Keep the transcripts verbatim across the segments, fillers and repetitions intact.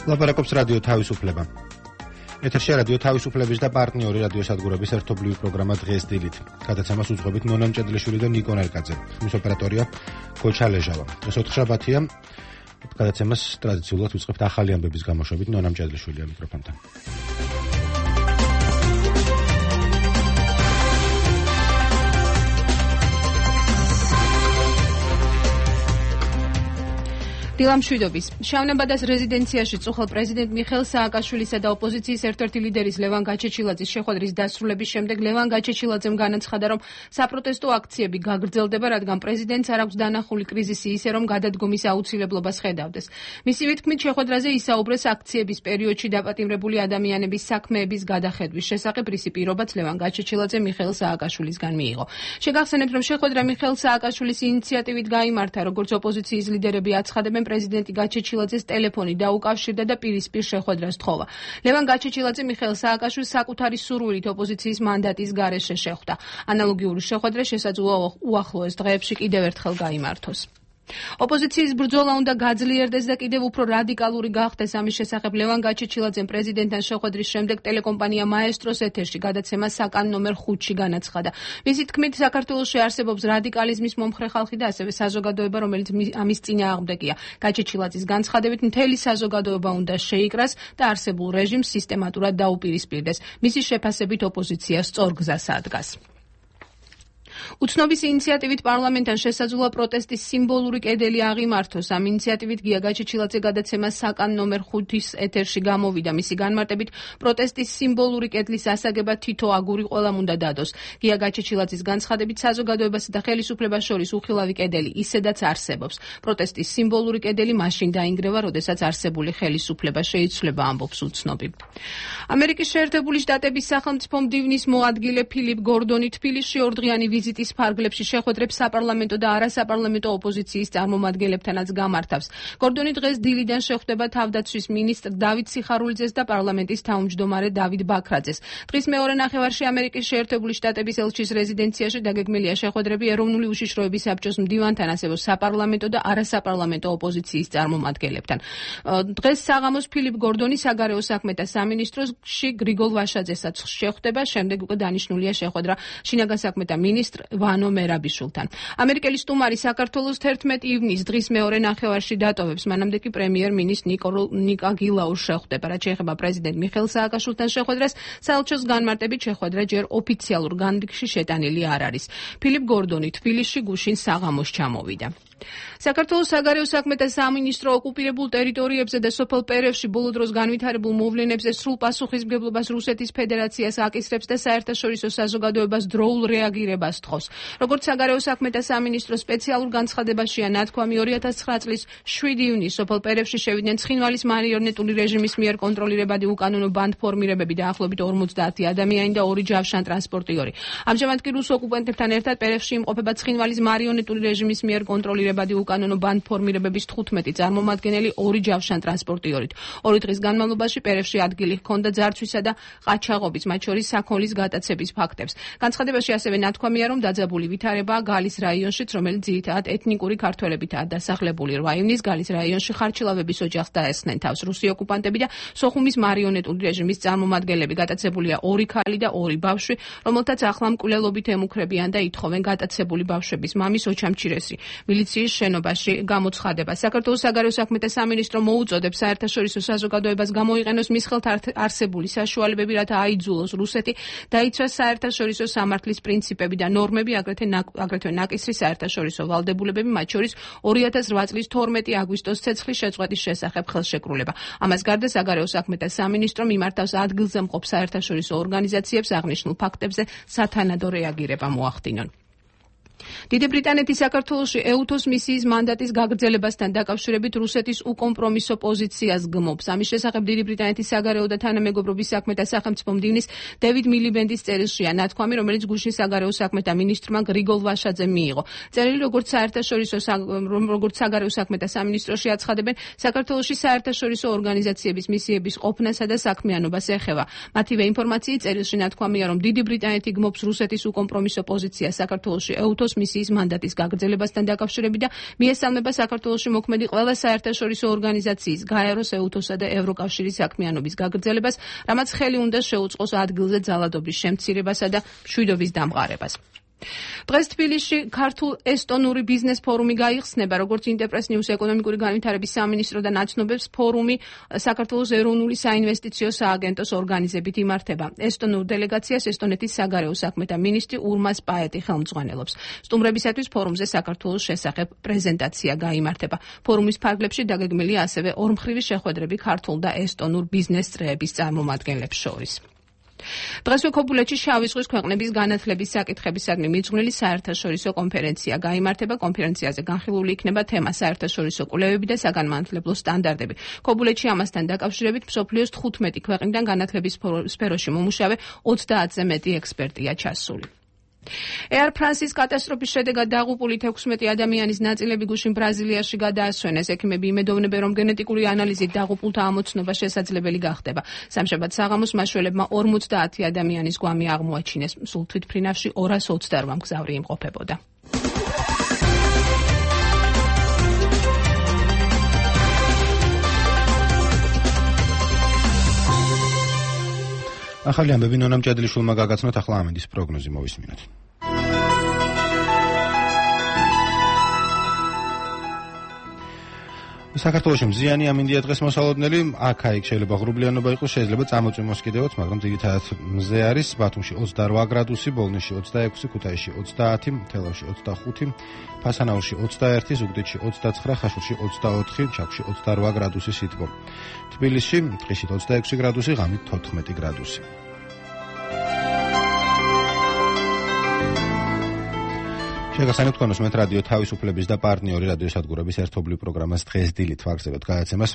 ლაპარაკობს რადიო თავისუფლება. ეთერში რადიო თავისუფლების და პარტნიორი რადიოსადგურების ერთობლივი პროგრამა დღეს დილით. გადაცემას უძღვებით ნონა მჭედლიშვილი და ნიკო ნერკაძე. ხმის ოპერატორია გოჩა ლეჟავა. დღეს ოთხშაბათია. გადაცემას ტრადიციულად ვიწყებთ ახალი ამბების გამოშვებით ნონა მჭედლიშვილია მიკროფონთან. დილამშვიდობის. შავნაბადას რეზიდენციაში წუხელ პრეზიდენტ მიხეილ სააკაშვილისა და ოპოზიციის ერთ-ერთი ლიდერის ლევან გაჩეჩილაძის შეხვედრის დასრულების შემდეგ ლევან გაჩეჩილაძემ განაცხადა, რომ საპროტესტო აქციები გაგრძელდება, რადგან პრეზიდენტს არ აქვს დანახული კრიზისი ისე, რომ გადადგომის აუცილებლობას ხედავდეს. მისივე თქმით, შეხვედრაზე ისაუბრეს აქციების პერიოდში დაპატიმრებული ადამიანების საქმეების გადახედვის შესახებ, რისი პირობაც ლევან გაჩეჩილაძე მიხეილ სააკაშვილისგან მიიღო. შეგახსენებთ, რომ შეხვედრა მიხეილ სააკაშვილის ინიციატივით გაიმართა, როგორც ოპოზიციის ლიდერები აცხადებენ, პრეზიდენტი გაჩეჩილაძეს ტელეფონი დაუკავშირდა და პირისპირ შეხვედრას თხოვა. ლევან გაჩეჩილაძე მიხეილ სააკაშვილს საკუთარი სურვილით ოპოზიციის მანდატის გარეშე შეხვდა. ანალოგიური შეხვედრა შესაძლოა უახლოეს დღეებში კიდევ ერთხელ გაიმართოს. ოპოზიციის ბრძოლა უნდა გაძლიერდეს და კიდევ უფრო რადიკალური გახდეს. ამის შესახებ ლევან გაჩეჩილაძემ პრეზიდენტთან შეხვედრის შემდეგ ტელეკომპანია მაესტროს ეთერში გადაცემა საკან ნომერ ხუთში განაცხადა. მისი თქმით, საქართველოში არსებობს რადიკალიზმის მომხრე ხალხი და ასევე საზოგადოება, რომელიც ამის წინააღმდეგია. გაჩეჩილაძის განცხადებით, მთელი საზოგადოება უნდა შეიკრას და არსებულ რეჟიმს სისტემატურად დაუპირისპირდეს. მისი შეფასებით ოპოზიცია სწორ გზას ადგას. უცნობის ინიციატივით პარლამენტთან შესაძლოა პროტესტის სიმბოლური კედელი აღიმართოს. ამ ინიციატივით გია გაჩეჩილაძე გადაცემა საკან ნომერ ხუთის ეთერში გამოვიდა. მისი განმარტებით, პროტესტის სიმბოლური კედლის ასაგება თითო აგური ყველამ უნდა დადოს. გია გაჩეჩილაძის განცხადებით, საზოგადოებასა და ხელისუფლებას შორის უხილავი კედელი ისედაც არსებობს. პროტესტის სიმბოლური კედელი მაშინ დაინგრევა, როდესაც არსებული ხელისუფლება შეიცვლება, ამბობს უცნობი. ამერიკის შეერთებული შტატების სახელმწიფო მდივნის მოადგილე ფილიპ გორდონი თბილისში ორდღიანი ვიზიტის ფარგლებში შეხვედრებს საპარლამენტო და არასაპარლამენტო ოპოზიციის წარმომადგენლებთანაც გამართავს. გორდონი დღეს დილიდან შეხვდება თავდაცვის მინისტრ დავით სიხარულიძეს და პარლამენტის თავმჯდომარე დავით ბაქრაძეს. დღის მეორე ნახევარში ამერიკის შეერთებული შტატების ელჩის რეზიდენციაში დაგეგმილია შეხვედრები ეროვნული უშიშროების საბჭოს მდივანთან, ასევე საპარლამენტო და არასაპარლამენტო ოპოზიციის წარმომადგენლებთან. დღეს საღამოს ფილიპ გორდონი საგარეო საქმეთა სამინისტროში გრიგოლ ვაშაძესაც შეხვდება, შემდეგ უკვე დანიშნულია შეხვედრა შინაგან საქმეთა მინისტრ ვანო მერაბიშვილთან. ამერიკელი სტუმარი საქართველოს თერთმეტი ივნისს დღის მეორე ნახევარში დატოვებს. მანამდე კი პრემიერ-მინისტრ ნიკა გილაურს შეხვდება. რაც შეეხება პრეზიდენტ მიხეილ სააკაშვილთან შეხვედრას, საელჩოს განმარტებით შეხვედრა ჯერ ოფიციალურ განრიგში შეტანილი არ არის. ფილიპ გორდონი თბილისში გუშინ საღამოს ჩამოვიდა. საქართველოს საგარეო საქმეთა სამინისტრო ოკუპირებულ ტერიტორიებზე და სოფელ პერევში ბოლო დროს განვითარებულ მოვლენებზე სრულ პასუხისმგებლობას რუსეთის ფედერაციას აკისრებს და საერთაშორისო საზოგადოებას დროულ რეაგირებას თხოვს. როგორც საგარეო საქმეთა სამინისტრო სპეციალურ განცხადებაშია ნათქვამი, ორი ათას ცხრა წლის შვიდი ივნისს სოფელ პერევში შევიდნენ ცხინვალის მარიონეტული რეჟიმის მიერ კონტროლირებადი უკანონო ბანდფორმირებები და ახლობით ორმოცდაათი ადამიანი და ორი ჯავშან ტრანსპორტიორი. ამჟამად კი რუს ოკუპანტებთან ერთად პერევში იმყოფება ცხინვალის მარიონეტული რეჟიმის მიერ კონტროლირებადი უკანონო ბანდფორმირებების თხუთმეტი წარმომადგენელი ორი ჯავშან ტრანსპორტიორით. ორი დღის განმავლობაში პერევში ადგილი ჰქონდა ძარცვისა და ყაჩაღობის, მათ შორის საქონლის გატაცების ფაქტებს. განცხადებაში ასევე ნათქვამია, რომ დაძაბული ვითარებაა გალის რაიონშიც, რომელიც ძირითადად ეთნიკური ქართველებითაა დასახლებული. რვა ივნისს გალის რაიონში ხარჩილავების ოჯახს დაესხნენ თავს რუსი ოკუპანტები და სოხუმის მარიონეტული რეჟიმის წარმომადგენლები. გატაცებულია ორი ქალი და ორი ბავშვი, რომელთაც ახლა მკვლელობით ემუქრებიან და ითხოვენ გატაცებული ბავშვების მამის ოჩამჩირესი მილიციის შენობაში გამოცხადება. საქართველოს საგარეო საქმეთა სამინისტრო მოუწოდებს საერთაშორისო საზოგადოებას გამოიყენოს მის ხელთ არსებული საშუალებები, რათა აიძულოს რუსეთი დაიცვას საერთაშორისო სამართლის პრინციპები და ნორმები, აგრეთვე ნაკისრი საერთაშორისო ვალდებულებები, მათ შორის ორი ათას რვა წლის თორმეტი აგვისტოს ცეცხლის შეწყვეტის შესახებ ხელშეკრულება. ამას გარდა საგარეო საქმეთა სამინისტრო მიმართავს ადგილზე მყოფ საერთაშორისო ორგანიზაციებს აღნიშნულ ფაქტებზე სათანადო რეაგირება მოახდინონ. დიდი ბრიტანეთი საქართველოში ეუთოს მისიის მანდატის გაგრძელებასთან დაკავშირებით რუსეთის უკომპრომისო პოზიციას გმობს. ამის შესახებ დიდი ბრიტანეთის საგარეო და თანამეგობრობის საქმეთა სახელმწიფო მდივნის დევიდ მილიბენდის წერილშია ნათქვამი, რომელიც გუშინ საგარეო საქმეთა მინისტრმა გრიგოლ ვაშაძემ მიიღო. წერილი როგორც საერთაშორისო როგორც საგარეო საქმეთა სამინისტროში აცხადებენ, საქართველოში საერთაშორისო ორგანიზაციების მისიების ყოფნასა და საქმიანობას ეხება. მათივე ინფორმაციით წერილში ნათქვამია, რომ დიდი ბრიტანეთი გმობს რუსეთის უკომპრომისო პოზიციას საქართველოში ეუთოს საქართველოს მისიის მანდატის გაგრძელებასთან დაკავშირებით და მიესალმება საქართველოში მოქმედი ყველა საერთაშორისო ორგანიზაციის, გაეროს, ეუთოსა და ევროკავშირის საქმიანობის გაგრძელებას, რამაც ხელი უნდა შეუწყოს ადგილზე ძალადობის შემცირებასა და მშვიდობის დამყარებას. დღეს თბილისში ქართულ-ესტონური ბიზნეს ფორუმი გაიხსნება, როგორც ინტერპრეს ნიუს ეკონომიკური განვითარების სამინისტრო და ნაცნობებს ფორუმი საქართველოს ეროვნული საინვესტიციო სააგენტოს ორგანიზებით იმართება. ესტონურ დელეგაციას ესტონეთის საგარეო საქმეთა მინისტრი ურმას პაეტი ხელმძღვანელობს. სტუმრებისათვის ფორუმზე საქართველოს შესახებ პრეზენტაცია გაიმართება. ფორუმის ფარგლებში დაგეგმილია ასევე ორმხრივი შეხვედრები ქართულ და ესტონურ ბიზნეს წრეების წარმომადგენლებს შორის. დღესვე ქობულეთში შავი ზღვის ქვეყნების განათლების საკითხებისადმი მიძღვნილი საერთაშორისო კონფერენცია გაიმართება. კონფერენციაზე განხილული იქნება თემა საერთაშორისო კვლევები და საგანმანათლებლო სტანდარტები. ქობულეთში ამასთან დაკავშირებით მსოფლიოს თხუთმეტი ქვეყნიდან განათლების სფეროში მომუშავე ოცდაათზე მეტი ექსპერტია ჩასული. Air France-ის კატასტროფის შედეგად დაღუპული თექვსმეტი ადამიანის ნაწილები გუშინ ბრაზილიაში გადაასვენეს. ექიმები იმედოვნებენ, რომ გენეტიკური ანალიზით დაღუპულთა ამოცნობა შესაძლებელი გახდება. სამშაბათ საღამოს მაშველებმა ორმოცდაათი ადამიანის გვამი აღმოაჩინეს. სულ თვითმფრინავში ორას ოცდაორ მგზავრი იმყოფებოდა. ახალი ამბები ნონა მჭედლიშვილმა გაგაცნოთ, ახლა ამინდის პროგნოზი მოვისმინოთ. საქართველოში მზიანი ამინდია დღეს მოსალოდნელი, აქ-აიქ შეიძლება ღრუბლიანობა იყოს, შეიძლება წამოწვიმოს კიდევაც, მაგრამ ძირითადად მზე არის. ბათუმში ოცდარვა გრადუსი, ბოლნისში ოცდაექვსი, ქუთაისში ოცდაათი, თელავში ოცდახუთი, ფასანაურში ოცდაერთი, ზუგდიდში ოცდაცხრა, ხაშურში ოცდაოთხი, ჩაქვში ოცდარვა გრადუსი სითბო. თბილისში ტყიშით ოცდაექვსი გრადუსი, ღამით თოთხმეტი გრადუსი. შეგახსენებთ თქვენ უსმენთ რადიო თავისუფლების და პარტნიორი რადიოსადგურების ერთობლივ პროგრამას დღეს დილით ვაგრძელებთ გადაცემას.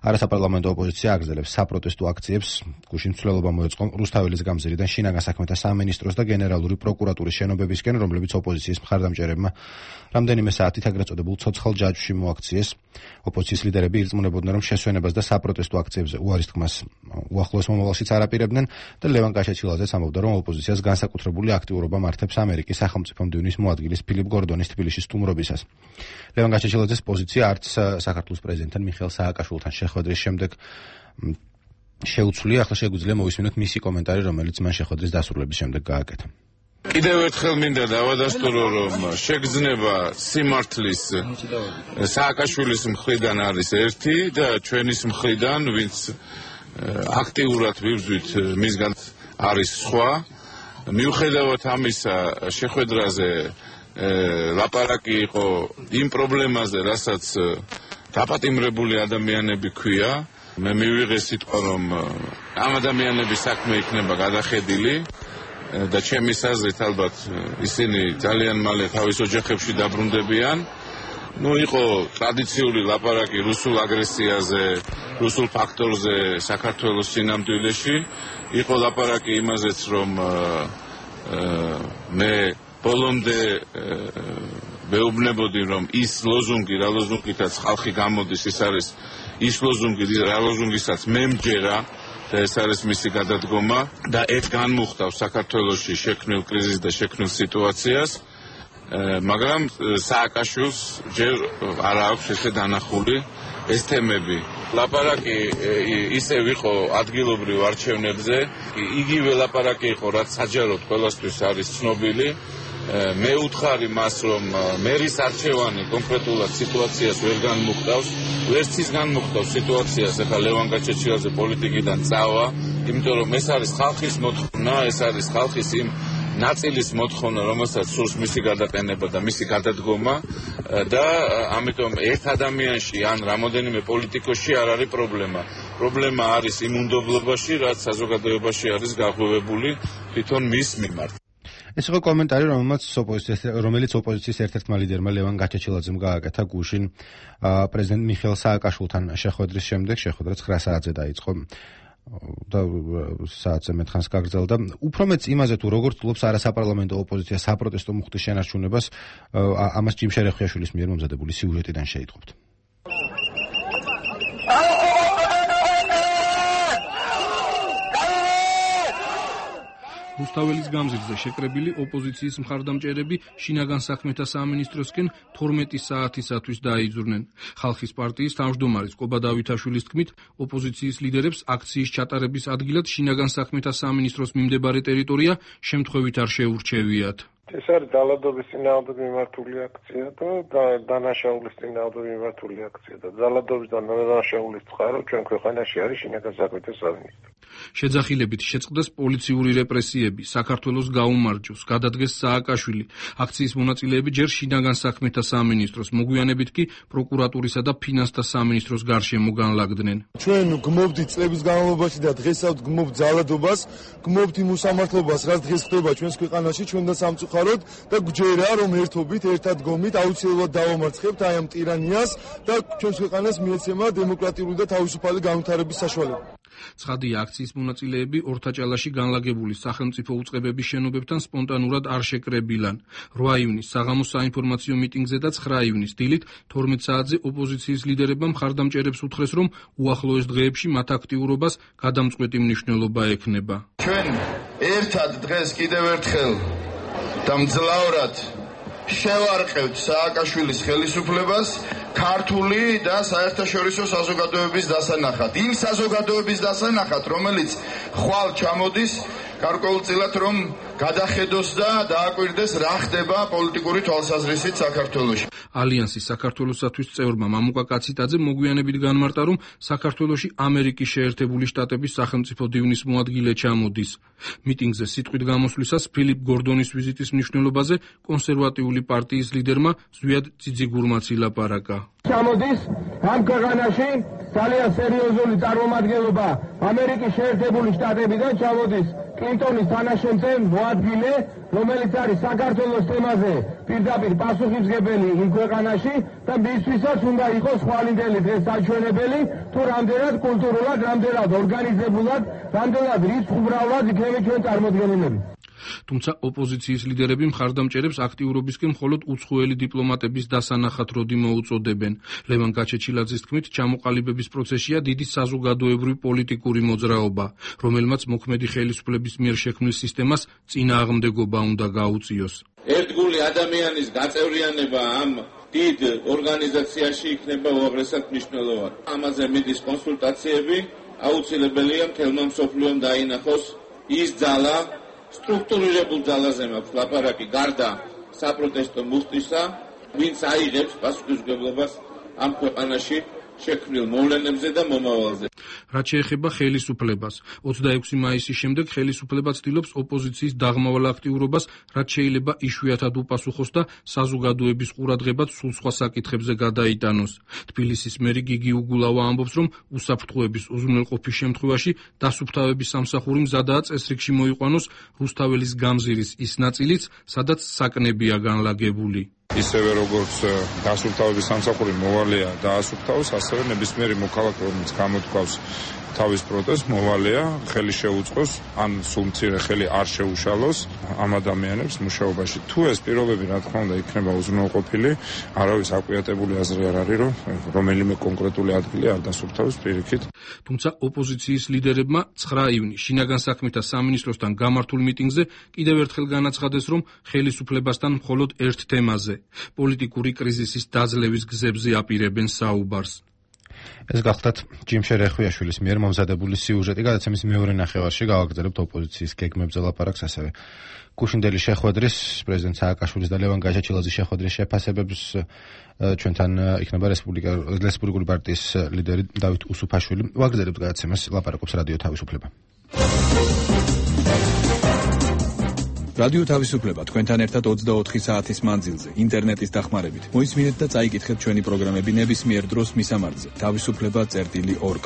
არასაპარლამენტო ოპოზიცია აგრძელებს საპროტესტო აქციებს. გუშინ ცვლილობა მოეწყო რუსთაველის გამზირიდან შინაგან საქმეთა სამინისტროს და გენერალური პროკურატურის შენობებისკენ, რომლებიც ოპოზიციის მხარდამჭერებმა რამდენიმე საათით ეგრეთ წოდებულ ცოცხალ ჯაჭვში მოაქციეს. ოპოზიციის ლიდერები ირწმუნებოდნენ, რომ შესვენებას და საპროტესტო აქციებზე უარის თქმას უახლოეს მომავალშიც არაპირებდნენ და ლევან კაშეჩილაძეც ამბობდა, რომ ოპოზიციას განსაკუთრებული აქტიურობა მართებს ამერიკის სახელმწიფო მდივნის მოადგილის ფილიპ გორდონის თბილისის სტუმრობისას. ლევან კაშეჩილაძეს პოზიცია არც საქართველოს პრეზიდენტთან მიხეილ სააკაშვილთან შეხვედრის შემდეგ შეუცვლია. ახლა შეგვიძლია მოვისმინოთ მისი კომენტარი, რომელიც მან შეხვედრის დასრულების შემდეგ გააკეთა. კიდევ ერთხელ მინდა დავადასტურო, რომ შეგრძნება სიმართლის სააკაშვილის მხრიდან არის ერთი და ჩვენის მხრიდან, ვინც აქტიურად ვიბრძვით, მისგან არის სხვა. მიუხედავად ამისა, შეხვედრაზე ლაპარაკი იყო იმ პრობლემაზე, რასაც დაპატიმრებული ადამიანები ქვია. მე მივიღე სიტყვა, რომ ამ ადამიანების საქმე იქნება გადახედილი და ჩემის აზრით ალბათ ისინი ძალიან მალე თავის ოჯახებში დაბრუნდებიან. ნუ იყო ტრადიციული ლაპარაკი რუსულ აგრესიაზე, რუსულ ფაქტორზე საქართველოს წინამძღოლში. იყო ლაპარაკი იმაზეც, რომ მე ბოლომდე მეუბნებოდი, რომ ის ლოზუნგი, რა ლოზუნგითაც ხალხი გამოდის, ის არის ის ლოზუნგი, რა ლოზუნგისაც მე მჯერა და ეს არის მისი გადადგომა და ეს განმუხტავს საქართველოში შექმნილ კრიზისს და შექმნილ სიტუაციას, მაგრამ სააკაშვილს ჯერ არ აქვს ესე დანახული ეს თემები. ლაპარაკი ისევ იყო ადგილობრივ არჩევნებზე, იგივე ლაპარაკი იყო, რაც საჯაროდ ყველასთვის არის ცნობილი. მე უთხარი მას, რომ მერის არჩევანი კონკრეტულად სიტუაციას ვერ განმუხტავს, ვერც ის განმუხტავს სიტუაციას, ახლა ლევან კაშეჩილაძე პოლიტიკიდან წავა, იმიტომ რომ ეს არის ხალხის მოთხოვნა, ეს არის ხალხის იმ ნაწილის მოთხოვნა, რომელსაც სურს მისი გადაყენება და მისი გადადგომა და ამიტომ ერთ ადამიანში ან რამოდენიმე პოლიტიკოსში არ არის პრობლემა. პრობლემა არის იმ უნდობლობაში, რაც საზოგადოებაში არის გაღვივებული თვითონ მის მიმართ. ეს იყო კომენტარი, რომელმაც რომელიც ოპოზიციის ერთ-ერთმა ლიდერმა ლევან კაშეჩილაძემ გააკეთა გუშინ პრეზიდენტ მიხეილ სააკაშვილთან შეხვედრის შემდეგ. შეხვედრა ცხრა საათზე დაიწყო და საათზე მეტ ხანს გაგრძელდა. უფრო მეც იმაზე, თუ როგორ ცდილობს არასაპარლამენტო ოპოზიცია საპროტესტო მუხტის შენარჩუნებას, ამას ჯიმ შერეხიაშვილის მიერ მომზადებული სიუჟეტიდან შეიტყობთ. რუსთაველის გამზირზე შეკრებილი ოპოზიციის მხარდამჭერები შინაგან საქმეთა სამინისტროსკენ თორმეტი საათისათვის დაიძურნენ. ხალხის პარტიის თავმჯდომარის კობა დავითაშვილის თქმით, ოპოზიციის ლიდერებს აქციის ჩატარების ადგილად შინაგან საქმეთა სამინისტროს მიმდებარე ტერიტორია შემთხვევით არ შეურჩევიათ. ეს არის ძალადობის წინააღმდეგ მიმართული აქცია და დანაშაულის წინააღმდეგ მიმართული აქცია და ძალადობის და დანაშაულის წყარო ჩვენ ქვეყანაში არის შინაგან საქმეთა სამინისტრო. შეძახილებით შეწყდეს პოლიციური რეპრესიები, საქართველოს გაუმარჯოს, გადადგეს სააკაშვილი. აქციის მონაწილეები ჯერ შინაგან საქმეთა სამინისტროს, მოგვიანებით კი პროკურატურისა და ფინანსთა სამინისტროს გარშემო განლაგდნენ. ჩვენ გმობდით წლების განმავლობაში და დღესაც გმობთ ძალადობას, გმობთ იმ უსამართლობას, რაც დღეს ხდება ჩვენს ქვეყანაში, ჩვენ და სამწუხაროდ და გვჯერა რომ ერთობით, ერთად გომით აუცილებლად დავამარცხებთ აი ამ ტირანიას და ჩვენს ქვეყანას მიეცემა დემოკრატიული და თავისუფალი განვითარების საშუალება. ცხადია, აქციის მონაწილეები ორთაჭალაში განლაგებული სახელმწიფო უწყებების შენობებთან სპონტანურად არ შეკრებილან. რვა ივნის საღამოს საინფორმაციო მიტინგზე და ცხრა ივნის დილით თორმეტ საათზე ოპოზიციის ლიდერებმა მხარდამჭერებს უთხრეს, რომ უახლოეს დღეებში მათ აქტიურობას გადამწყვეტი მნიშვნელობა ექნება. ჩვენ ერთად დღეს კიდევ ერთხელ და მძლავრად შევარყევთ სააკაშვილის ხელისუფლებას ქართული და საერთაშორისო საზოგადოების დასანახად. იმ საზოგადოების დასანახად, რომელიც ხვალ ჩამოდის გარკვეულწილად რომ გადახედოს და დააკვირდეს რა ხდება პოლიტიკური თვალსაზრისით საქართველოში. ალიანსის საქართველოსათვის წევრმა მამუკა კაციტაძე მოგვიანებით განმარტა, რომ საქართველოში ამერიკის შეერთებული შტატების სახელმწიფო დივნის მოადგილე ჩამოდის. მიტინგზე სიტყვით გამოსვლისას ფილიპ გორდონის ვიზიტის მნიშვნელობაზე კონსერვატიული პარტიის ლიდერმა ზვიად ძიძიგურმაც ილაპარაკა. ჩამოდის ამ ქვეყანაში ძალიან სერიოზული წარმომადგენლობა ამერიკის შეერთებული შტატებიდან ჩამოდის კლინტონის თანაშემწე მოადგილე, რომელიც არის საქართველოს თემაზე პირდაპირ პასუხისმგებელი იმ ქვეყანაში და მისთვისაც უნდა იყოს ხვალინდელი დღეს საჩვენებელი თუ რამდენად კულტურულად, რამდენად ორგანიზებულად, რამდენად რიცხუბრალად იქნება ჩვენ წარმოდგენილები. თუმცა ოპოზიციის ლიდერები მხარდამჭერებს აქტიურობისკენ მხოლოდ უცხოელი დიპლომატების დასანახად როდი მოუწოდებენ. ლევან გაჩეჩილაძის თქმით, ჩამოყალიბების პროცესია დიდი საზოგადოებრივი პოლიტიკური მოძრაობა, რომელმაც მოქმედი ხელისუფლების მიერ შექმნილ სისტემას წინააღმდეგობა უნდა გაუწიოს. ერთგული ადამიანის გაწევრიანება ამ დიდ ორგანიზაციაში იქნება უაღრესად მნიშვნელოვანი. ამაზე მიდის კონსულტაციები, აუცილებელია მთელმა მსოფლიომ დაინახოს ის ძალა, სტრუქტურირებულ ძალაზე მაქვს ლაპარაკი გარდა საპროტესტო მუხტისა, ვინც აიღებს პასუხისმგებლობას ამ ქვეყანაში შექმნილ მოვლენებზე და მომავალზე. რაც შეეხება ხელისუფლებას, ოცდაექვსი მაისის შემდეგ ხელისუფლება ცდილობს ოპოზიციის დაღმავალ აქტიურობას, რაც შეიძლება იშვიათად უპასუხოს და საზოგადოების ყურადღებაც სულ სხვა საკითხებზე გადაიტანოს. თბილისის მერი გიგი უგულავა ამბობს, რომ უსაფრთხოების უზრუნველყოფის შემთხვევაში დასუფთავების სამსახური მზადაა წესრიგში მოიყვანოს რუსთაველის გამზირის ის ნაწილიც, სადაც საკნებია განლაგებული. ისევე როგორც დასუფთავების სამსახური მოვალეა დაასუფთავოს, ასევე ნებისმიერი მოქალაქე, რომელიც გამოთქვავს თავის პროტესტს, მოვალეა ხელი შეუწყოს, ან სულ მცირე ხელი არ შეუშალოს ამ ადამიანებს მუშაობაში. თუ ეს პირობები, რა თქმა უნდა, იქნება უზრუნველყოფილი, არავის აკვიატებული აზრი არ არის, რომ რომელიმე კონკრეტული ადგილი არ დასუფთავოს პირიქით. თუმცა ოპოზიციის ლიდერებმა ცხრა ივნის შინაგან საქმეთა სამინისტროსთან გამართულ მიტინგზე კიდევ ერთხელ განაცხადეს, რომ ხელისუფლებასთან მხოლოდ ერთ თემაზე, პოლიტიკური კრიზისის დაძლევის გზებზე აპირებენ საუბარს. ეს გახლდათ ჯიმშე რეხვიაშვილის მიერ მომზადებული სიუჟეტი, გადაცემის მეორე ნახევარში გავაგრძელებთ ოპოზიციის გეგმებზე ლაპარაკს, ასევე გუშინდელი შეხვედრის, პრეზიდენტ სააკაშვილის და ლევან გაჩეჩილაძის შეხვედრის შეფასებებს ჩვენთან იქნება რესპუბლიკური პარტიის ლიდერი დავით უსუფაშვილი. ვაგრძელებთ გადაცემას, ლაპარაკობს რადიო თავისუფლება. რადიო თავისუფლება თქვენთან ერთად ოცდაოთხი საათის მანძილზე, ინტერნეტის დახმარებით. მოისმინეთ და წაიკითხეთ ჩვენი პროგრამები ნებისმიერ დროს მისამართზე. თავისუფლება წერტილი ორგ.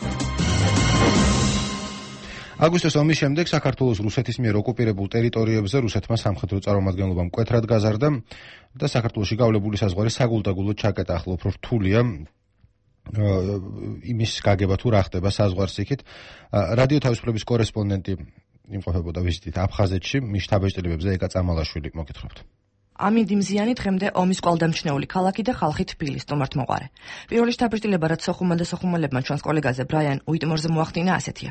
აგვისტოს ომის შემდეგ საქართველოს რუსეთის მიერ ოკუპირებულ ტერიტორიებზე რუსეთმა სამხედრო წარმომადგენლობა მკვეთრად გაზარდა და საქართველოში გავლებული საზღვარი საგულდაგულოდ ჩაკეტა. ახლა უფრო რთულია იმის გაგება თუ რა ხდება საზღვარს იქით. რადიო თავისუფლების კორესპონდენტი იმყოფებოდა ვიზიტით აფხაზეთში, მის შთაბეჭდილებებზე ეკა წამალაშვილი, მოგითხრობთ. ამინდიმზიანი დღემდე ომის კვალდამჩნეული ქალაქი და ხალხი თბილი სტუმართმოყვარე. პირველი შთაბეჭდილება რაც სოხუმან და სოხუმელებმა ჩვენს კოლეგაზე ბრაიან უიტმორზე მოახდინა ასეთია.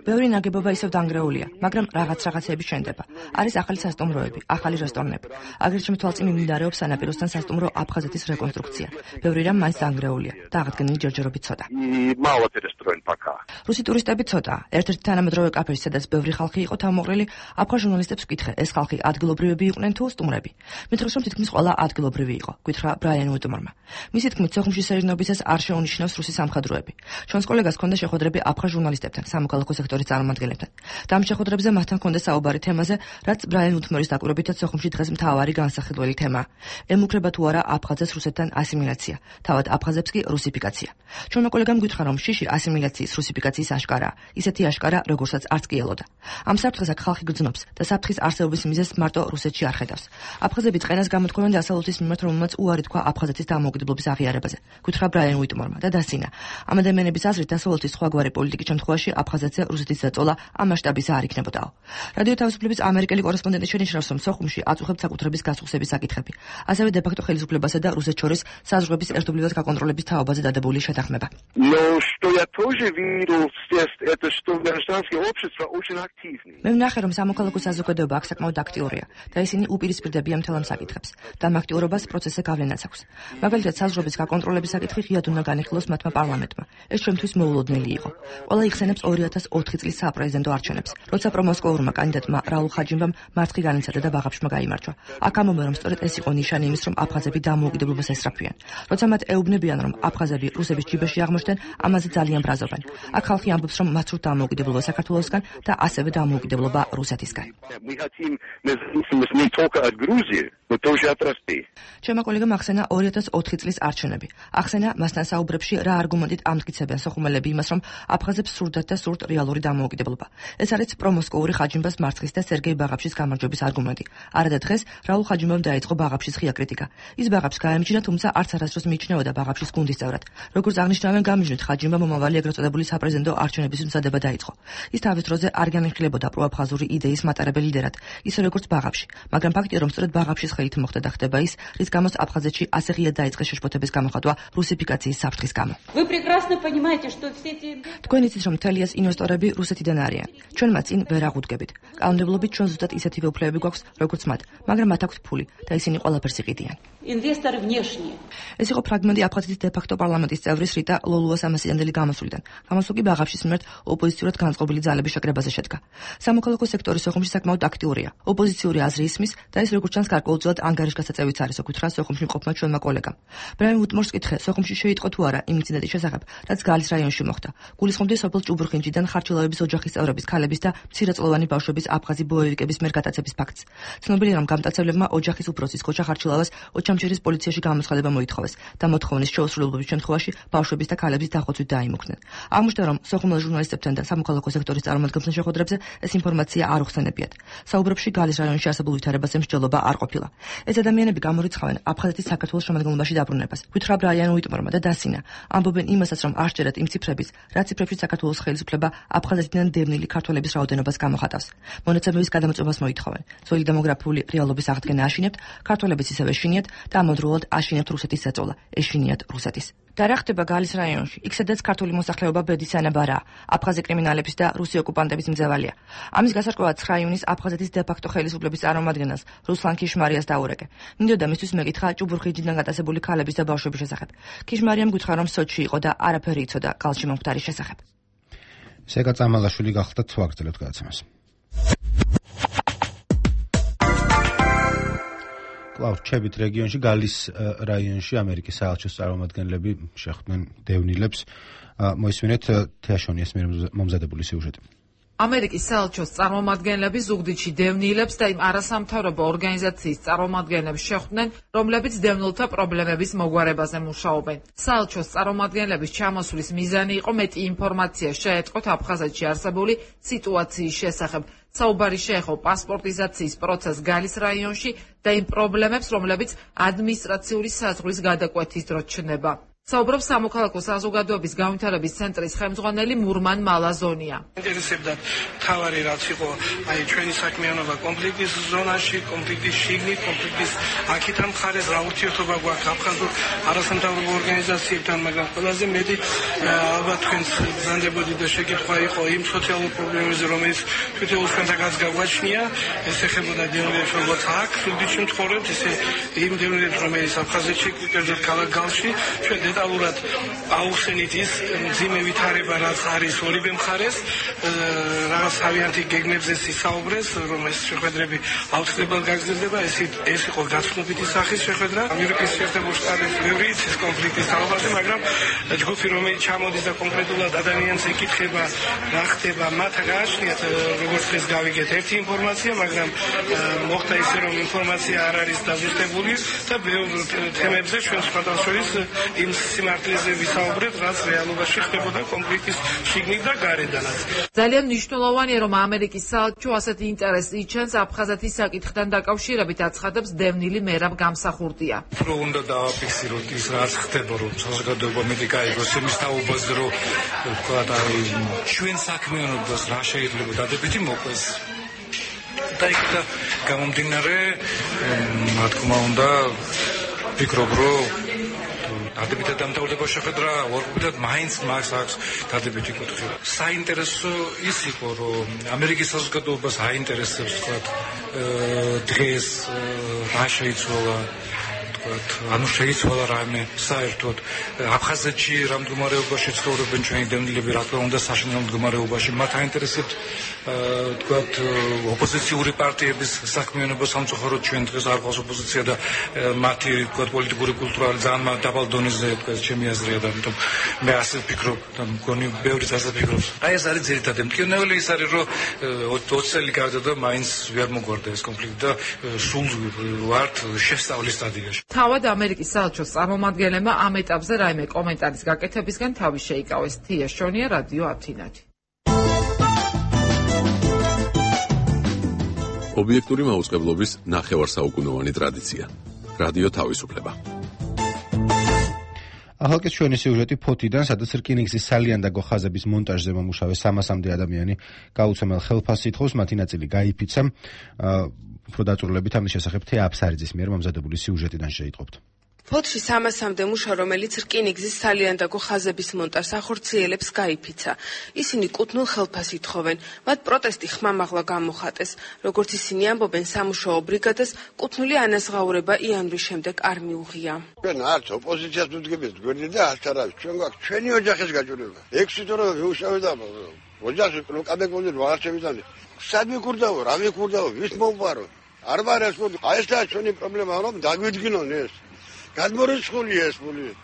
ბევრი ნაგებობა ისევ დანგრეულია, მაგრამ რაღაც რაღაცები შენდება. არის ახალი სასტუმროები, ახალი რესტორნები. აგრეთვე შემთვალწინ მიმდინარეობს სანაპიროსთან სასტუმრო აფხაზეთის რეკონსტრუქცია. ბევრი რამ მაინც დანგრეულია და აღდგენილი ჯერჯერობით ცოტა. რუსი ტურისტები ცოტაა. ერთ-ერთი თანამედროვე კაფეში, სადაც ბევრი ხალხი იყო თავმოყრილი, აფხაზ ჟურნალისტებს ვკითხე, ეს ხალხი ადგილობრივები იყვნენ თუ სტუმრები. მითხრობს, რომ თითქმის ყველა ადგილობრივი იყო, გითხრა ბრაიან უიტმორმა. მისი თქმით, სოხუმში სერინობისას არ შეუნიშნავს რუსი სამხედროები. ჩვენს კოლეგას ჰქონდა შეხვედრები აფხაზ ჟურნალისტებთან, სამოქალაქო სექტორის წარმომადგენლებთან. და ამ შეხვედრებზე მათთან ჰქონდა საუბარი თემაზე, რაც ბრაიან უიტმორის დაკვირვებითაც სოხუმში დღეს მთავარი განსახილველი თემაა. ემუქრება თუ არა აფხაზებს რუსეთთან ასიმილაცია, თავად აფხაზებს კი რუსიფიკაცია. ჩვენმა კოლეგამ გითხრა, რომ შიში ასიმილაციის რუსიფიკაციის აშკარაა, ისეთი აშკარა, როგორცაც არც კი ელოდა. ამ საფრთხეს აქ ხალხი გრძნობს და საფრთხის არსებობის მიზეზს მარტო რუსეთში არ ხედავს. აფხაზები წყენას გამოთქვამენ დასავლეთის მიმართ, რომელმაც უარი თქვა აფხაზეთის დამოუკიდებლობის აღიარებაზე. გითხრა ბრაიან უიტმორმა და დასინა. ამ ადამიანების აზრით დასავლეთის სხვაგვარი პოლიტიკის შემთხვევაში აფხაზეთზე რუსეთის ზეწოლა ამ მასშტაბისა არ იქნებოდაო. რადიო თავისუფლების ამერიკელი კორესპონდენტი შენიშნავს, რომ სოხუმში აწუხებთ საკუთრების გასუხსების საკითხები. ასევე დე-ფაქტო ხელისუფლებასა და რუსეთს შორის საზღვრების ერთობლივად გაკონტროლების თაობაზე დადებული შეთანხმება. მე ვნახე, რომ სამოქალაქო საზოგადოება აქ საკმაოდ აქტიურია და ისინი უპირისპირდებიან მთელ ამ საკითხებს და ამ აქტიურობას პროცესზე გავლენაც აქვს. მაგალითად, საზღვრების გაკონტროლების საკითხი ღიად უნდა განიხილოს მათმა პარლამენტმა. ეს ჩვენთვის მოულოდნელი იყო. ყველა იხსენებს ორი ათას ოთხი წლის საპრეზიდენტო არჩევნებს, როცა პრომოსკოურმა კანდიდატმა რაულ ხაჯიმბამ მარცხი განიცადა და ბაღაფშმა გაიმარჯვა. აქ ამბობენ, რომ სწორედ ეს იყო ნიშანი იმის, რომ აფხაზები დამოუკიდებლობას ესწრაფვიან. როცა მათ ეუბნებიან, რომ აფხაზები რუსების ჯიბეში აღმოჩნდნენ, ამაზე ძალიან ბრაზობენ. აქ ხალხი ამბობს, რომ მათ სურთ დამოუკიდებლობა საქართველოსგან და ასევე დამოუკიდებლობა რუსეთისგან. ჩემმა კოლეგამ ახსენა ორი ათას ოთხი წლის არჩევნები. ახსენა მასთან საუბრებში რა არგუმენტით ამტკიცებენ სოხუმელები იმას, რომ აფხაზებს სურდათ და სურთ რეალური დამოუკიდებლობა. ეს არის პრომოსკოური ხაჯიმბას მარცხის და სერგეი ბაღაფშის გამარჯვების არგუმენტი. არადა დღეს რაულ ხაჯიმბამ დაიწყო ბაღაფშის ღია კრიტიკა. ის ბაღაფს გაემჯნა, თუმცა არც არასდროს მიიჩნეოდა ბაღაფშის გუნდის წევრად. როგორც აღნიშნავენ, გამიჯნით ხაჯიმბა მომავალი ეგრეთ წოდებული საპრეზიდენტო არჩევნების მზადება დაიწყო. ის თავის დროზე არ განიხილებოდა პროაფხაზური იდეის მატარებელ ლიდერად, ისე როგორც ბაღაფში, მაგრამ ფაქტია, რომ სწორედ ბაღაფშის ხელით მოხდა და ხდება ის, რის გამოც აფხაზეთში ასე ღიად დაიწყეს შეშფოთების გამოხატვა რუსიფიკაციის საფრთხის გამო. თქვენ იცით, რომ მთელი ეს ინვესტორები რუსეთიდან არიან. ჩვენ მათ წინ ვერ აღუდგებით. კანონმდებლობით ჩვენ ზუსტად ისეთივე უფლებები გვაქვს, როგორც მათ, მაგრამ მათ აქვთ ფული და ისინი ყველაფერს იყიდიან. ეს იყო ფრაგმენტი აფხაზეთის დე-ფაქტო პარლამენტის წევრის რიტა ლოლუას ამასიდანდელი გამოსვლიდან. გამოსვლა კი ბაღაფშის მიმართ ოპოზიციურად განწყობილი ძალების შეკრებაზე შედგა. სამოქალაქო სექტორი სოხუმში საკმაოდ აქტიურია. ოპოზიციური აზრი ისმის და ეს როგორც ჩანს გარკვეულწილად ანგარიშგასაწევიც არის, ოკითხა სოხუმში მყოფმა ჩვენმა კოლეგამ. ბრაიან უიტმორს კითხე, სოხუმში შეიტყო თუ არა იმ ინციდენტის შესახებ, რაც გალის რაიონში მოხდა. გულისხმობდი სოფელ ჭუბურხინჯიდან ხარჩილავების ოჯახის წევრების, ქალების და მცირეწლოვანი ბავშვების აფხაზი ბოევიკების მიერ გატაცების ფაქტს. ცნობილია, რომ გამტაცებლებმა ოჯახის უფროსის ქოჩა ხარჩილავას ოჩამჩირის პოლიციაში გამოცხადება მოითხოვეს და მოთხოვნის შეუსრულებლობის შემთხვევაში ბავშვების და ქალების დახოცვით დაიმუქდნენ. აღმოჩნდა, რომ სოხუმელ ჟურნალისტებთან და სამოქალაქო სექტორის წარმომადგენლებთან შეხვედრებზე ეს ინფორმაცია არ უხსენებიათ. საუბრებში გალის რაიონში არსებულ ვითარებაზე მსჯელობა არ ყოფილა. ეს ადამიანები გამორიცხავენ აფხაზეთის საქართველოს შემადგენლობაში დაბრუნებას. გითხრა ბრაიან უიტმორმა და დასინა. ამბობენ იმასაც, რომ არ სჯერათ იმ ციფრების, რაც ციფრებში საქართველოს ხელისუფლება აფხაზეთიდან დევნილი ქართველების რაოდენობას გამოხატავს. მონაცემების გადამოწმებას მოითხოვენ. ძველი დემოგრაფიული რეალობის აღდგენა აშინებთ, ქართველებიც ისევ ეშინიათ და ამავდროულად აშინებთ რუსეთის ზეწოლა, ეშინიათ რუსეთის. და რა ხდება გალის რაიონში? იქ სადაც ქართული მოსახლეობა ბედის ანაბარაა, აფხაზი კრიმინალების და რუსი ოკუპანტების მძევალია. ამის გასარკვევად ცხრა ივნისს აფხაზეთის დე-ფაქტო ხელისუფლების წარმომადგენელს რუსლან ქიშმარიას დაურეკე. მინდოდა მისთვის მეკითხა ჭუბურხინჯიდან გატაცებული ქალების და ბავშვების შესახებ. ქიშმარიამ გითხრა, რომ სოჩში იყო და არაფერი იცოდა გალში მომხდარის შესახებ. სეგა წამალაშვილი გახდა თვაგრძელოთ გადაცემას. კლავ ჩებით რეგიონში გალის რაიონში ამერიკის საელჩოს წარმომადგენლები შეხვდნენ დევნილებს. მოისმინეთ თეაშონიას მიერ მომზადებული სიუჟეტი. ამერიკის საელჩოს წარმომადგენლები ზუგდიდში დევნილებს და იმ არასამთავრობო ორგანიზაციის წარმომადგენლებს შეხვდნენ, რომლებიც დევნილთა პრობლემების მოგვარებაზე მუშაობენ. საელჩოს წარმომადგენლების ჩამოსვლის მიზანი იყო მეტი ინფორმაცია შეეწყოთ აფხაზეთში არსებული სიტუაციის შესახებ. საუბარი შეეხო პასპორტიზაციის პროცესს გალის რაიონში და იმ პრობლემებს, რომლებიც ადმინისტრაციული საზღვრის გადაკვეთის დროს ჩნდება. საუბრობს სამოქალაქო საზოგადოების განვითარების ცენტრის ხელმძღვანელი მურმან მალაზონია. ინტერესებდათ თავარი რაც იყო აი ჩვენი საქმიანობა კონფლიქტის ზონაში, კონფლიქტის შიგნით, კონფლიქტის აქეთან მხარეს რა ურთიერთობა გვაქვს აფხაზურ არასამთავრობო ორგანიზაციებთან, მაგრამ ყველაზე მეტი ალბათ თქვენს ბრძანდებოდი და შეკითხვა იყო იმ სოციალურ პრობლემებზე, რომელიც თვითონ თქვენთანაც გაგვაჩნია, ეს ეხებოდა დევნილებს, როგორც აქ სუდში მცხოვრებთ, ისე იმ დევნილებს, რომელიც აფხაზეთში, კერძოდ ქალაქ გალში, ჩვენ დეტალურად აუხსენით ის მძიმე ვითარება, რაც არის ორივე მხარეს, რაღაც თავიანთი გეგმებზე ისაუბრეს, რომ ეს შეხვედრები აუცილებლად გაგრძელდება, ეს ეს იყო გაცნობიტი სახის შეხვედრა. ამერიკის შეერთებულ შტატებში ბევრი იცის კონფლიქტის თაობაზე, მაგრამ ჯგუფი, რომელიც ჩამოდის და კონკრეტულად ადამიანს ეკითხება, რა ხდება, მათ გააჩნიათ, როგორც ეს გავიგეთ, ერთი ინფორმაცია, მაგრამ მოხდა ისე, რომ ინფორმაცია არ არის დაზუსტებული და ბევრ თემებზე ჩვენ სხვადასხვა შორის იმ სიმართლეზე ვისაუბრეთ, რაც რეალობაში ხდებოდა კონფლიქტის შიგნით და გარედანაც. ძალიან მნიშვნელოვანია, რომ ამერიკის საელჩო ასეთი ინტერესი იჩენს აფხაზეთის საკითხთან დაკავშირებით, აცხადებს დევნილი მერაბ გამსახურდია. უფრო უნდა დავაფიქსიროთ ის, რაც ხდება, რომ საზოგადოება მეტი გაიგოს იმის თაობაზე, რომ ვთქვათ, აი ჩვენ საქმიანობას რა შეიძლება დადებითი მოყვეს. და იქ და გამომდინარე, რა თქმა უნდა, ვფიქრობ, რომ დადებითად დამთავრდება შეხვედრა, უარყოფითად მაინც მას აქვს დადებითი კუთხე. საინტერესო ის იყო, რომ ამერიკის საზოგადოებას აინტერესებს, ვთქვათ, დღეს რა შეიცვალა, ვთქვათ, ანუ შეიცვალა რამე საერთოდ აფხაზეთში რა მდგომარეობაში ცხოვრობენ ჩვენი დევნილები, რა თქმა უნდა, საშინაო მდგომარეობაში. მათ აინტერესებთ, ვთქვათ, ოპოზიციური პარტიების საქმიანობა სამწუხაროდ ჩვენ დღეს არ ყავს ოპოზიცია და მათი, ვთქვათ, პოლიტიკური კულტურა ძალიან დაბალ დონეზე, ვთქვათ, ჩემი აზრია და ამიტომ მე ასე ვფიქრობ და მგონი ბევრიც ასე ფიქრობს. აი ეს არის ძირითადი მტკივნეული, ის არის, რომ ოცი წელი გავიდა და მაინც ვერ მოგვარდა ეს კონფლიქტი და სულ ვართ შესწავლის სტადიაში. თავად ამერიკის საელჩოს წარმომადგენლებმა ამ ეტაპზე რაიმე კომენტარის გაკეთებისგან თავი შეიკავეს. თია შონია, რადიო ათინათი. ობიექტური მაუწყებლობის ნახევარსაუკუნოვანი ტრადიცია. რადიო თავისუფლება. ახალკეთ ჩვენი სიუჟეტი ფოთიდან, სადაც რკინიგზის სალიანდაგო ხაზების მონტაჟზე მომუშავე სამასამდე ადამიანი გაუცემელ ხელფასს ითხოვს, მათი ნაწილი გაიფიცა. უფრო დაწვრილებით ამის შესახებ თეა აფსარიძის მიერ მომზადებული სიუჟეტიდან შეიტყობთ. ფოთში სამასამდე მუშა, რომელიც რკინიგზის სალიანდაგო ხაზების მონტაჟს ახორციელებს, გაიფიცა. ისინი კუთვნილ ხელფასს ითხოვენ. მათ პროტესტი ხმამაღლა გამოხატეს. როგორც ისინი ამბობენ, სამუშაო ბრიგადას კუთვნილი ანაზღაურება იანვრის შემდეგ არ მიუღია. ჩვენ არც ოპოზიციას ვუდგებით გვერდი და არც არავის. ჩვენ გვაქვს ჩვენი ოჯახის გაჭირვება. ექვსი თვე ვიუშავე და ოჯახი კადეკონდით ვარჩევიდან. სად მიკურდაო, რა მიკურდაო, ვის მოვპარო? არ ვარ ეს მოდი. აი ეს და ჩვენი პრობლემა რომ დაგვიდგინონ ეს. გადმორიცხულია ეს ფული.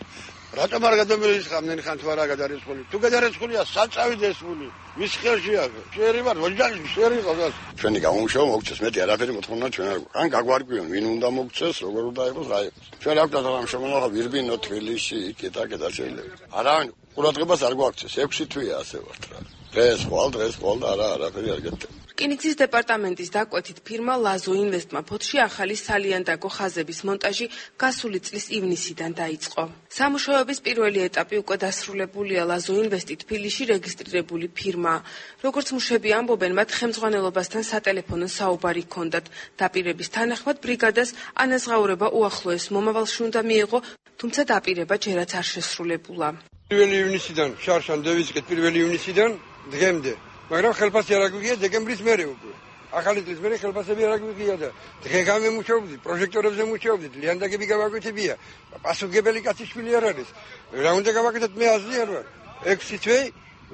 რატომ არ გადამერიცხავდნენ ხან თუ არა გადარიცხული? თუ გადარიცხულია, საწავიდა ეს ფული. ვის ხელშია? შერი ვარ, ოჯახი შერი ყავს. ჩვენი გამომშოვა მოგწეს, მეტი არაფერი მოთხოვნა ჩვენ არ გვაქვს. ან გაგვარკვიონ, ვინ უნდა მოგწეს, როგორ უნდა იყოს, რა იყოს. ჩვენ რა გვქონდა გამომშოვა, ვირბინო თბილისში, იქ და კიდე შეიძლება. არავინ ყურადღებას არ გვაქცეს, ექვსი თვეა ასე ვართ რა. დღეს ხვალ, დღეს ხვალ და არა არაფერი არ გეტყვი. რკინიგზის დეპარტამენტის დაკვეთით ფირმა ლაზო ინვესტმა ფოთში ახალი სალიანდაგო ხაზების მონტაჟი გასული წლის ივნისიდან დაიწყო. სამუშაოების პირველი ეტაპი უკვე დასრულებულია. ლაზო ინვესტი თბილისში რეგისტრირებული ფირმაა. როგორც მუშები ამბობენ, მათ ხელმძღვანელობასთან სატელეფონო საუბარი ჰქონდათ. დაპირების თანახმად ბრიგადას ანაზღაურება უახლოეს მომავალში უნდა მიეღო, თუმცა დაპირება ჯერაც არ შესრულებულა. პირველი ივნისიდან შარშან დავიწყეთ პირველი ივნისიდან დღემდე. მაგრამ ხელფასი არ აგვიგია დეკემბრის მერე უკვე. ახალი წლის მერე ხელფასები არ აგვიგია და დღე გამემუშავებდით, პროჟექტორებზე მუშაობდით, ლიანდაგები გავაკვეთებია. პასუხგებელი კაციშვილი არ არის. რა უნდა გავაკეთოთ, მე აზრი არ ვარ. ექვსი თვე